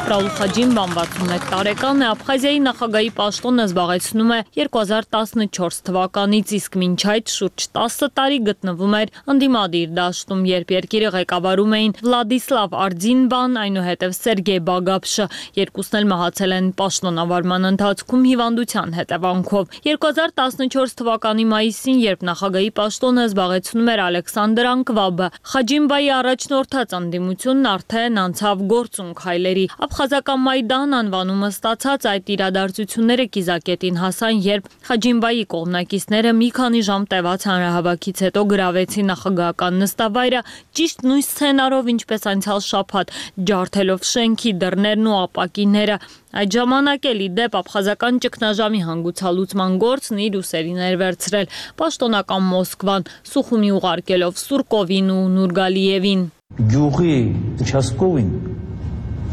Ռաուլ Խաջիմբան վաթսունմեկ տարեկան է, Աբխազիայի նախագահի պաշտոնը զբաղեցնում է երկու հազար տասնչորս թվականից, իսկ մինչ այդ շուրջ տասը տարի գտնվում էր ընդդիմադիր դաշտում, երբ երկիրը ղեկավարում էին Վլադիսլավ Արձինբան, այնուհետև Սերգեյ Բագապշը, երկուսն էլ մահացել են պաշտոնավարման ընթացքում հիվանդության հետևանքով։ երկու հազար տասնչորս թվականի մայիսին, երբ նախագահի պաշտոնը զբաղեցնում էր Ալեքսանդր Անկվաբը, Խաջիմբայի առաջնորդած ընդդիմությունն արդեն անցավ գործուն քայլերի։ Աբխազական Մայդան անվանումը ստացած այդ իրադարձությունները կիզակետին հասան, երբ Խաջիմբայի կողմնակիցները մի քանի ժամ տևած հանրահավաքից հետո գրավեցին նախագահական նստավայրը, ճիշտ նույն սցենարով, ինչպես անցյալ շաբաթ, ջարդելով շենքի դռներն ու ապակիները։ Այդ ժամանակ էլ ի դեպ աբխազական ճգնաժամի հանգուցալուծման գործն իր ուսերին էր վերցրել պաշտոնական Մոսկվան, Սուխումի ուղարկելով Սուրկովին ու Նուրգալիևին։ Գյուղի участковին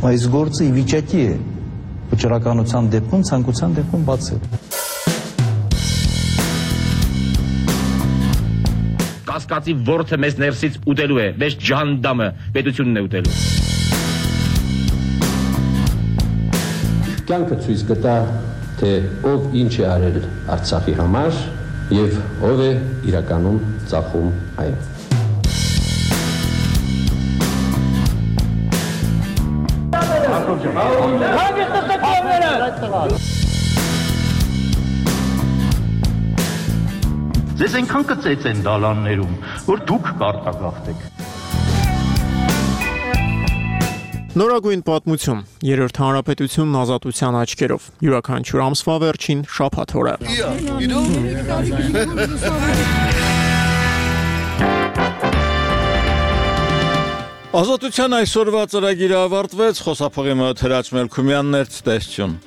այս գործը ի վիճակի է վճռականության դեպքում, ցանկության դեպքում բացել։ Կասկածի ворթը մեզ ներսից ուտելու է, մեզ ջանդամը պետությունն է ուտելու։ Կյանքը ցույց կտա, թե ով ինչ է արել Արցախի համար եւ ով է իրականում ծախում այն։ Ձեզ այնքան կծեց են դալաններում, որ դուք կարտագաղթեք։ Նորագույն պատմություն, երրորդ հանրապետությունն ազատության աչքերով, յուրաքանչյուր ամսվա վերջին շաբաթ օրը։ Ազատության այսօրվա ծրագիրը ավարտվեց, խոսափողի մոտ Հրաչ Մելքումյանն էր, ցտեսություն։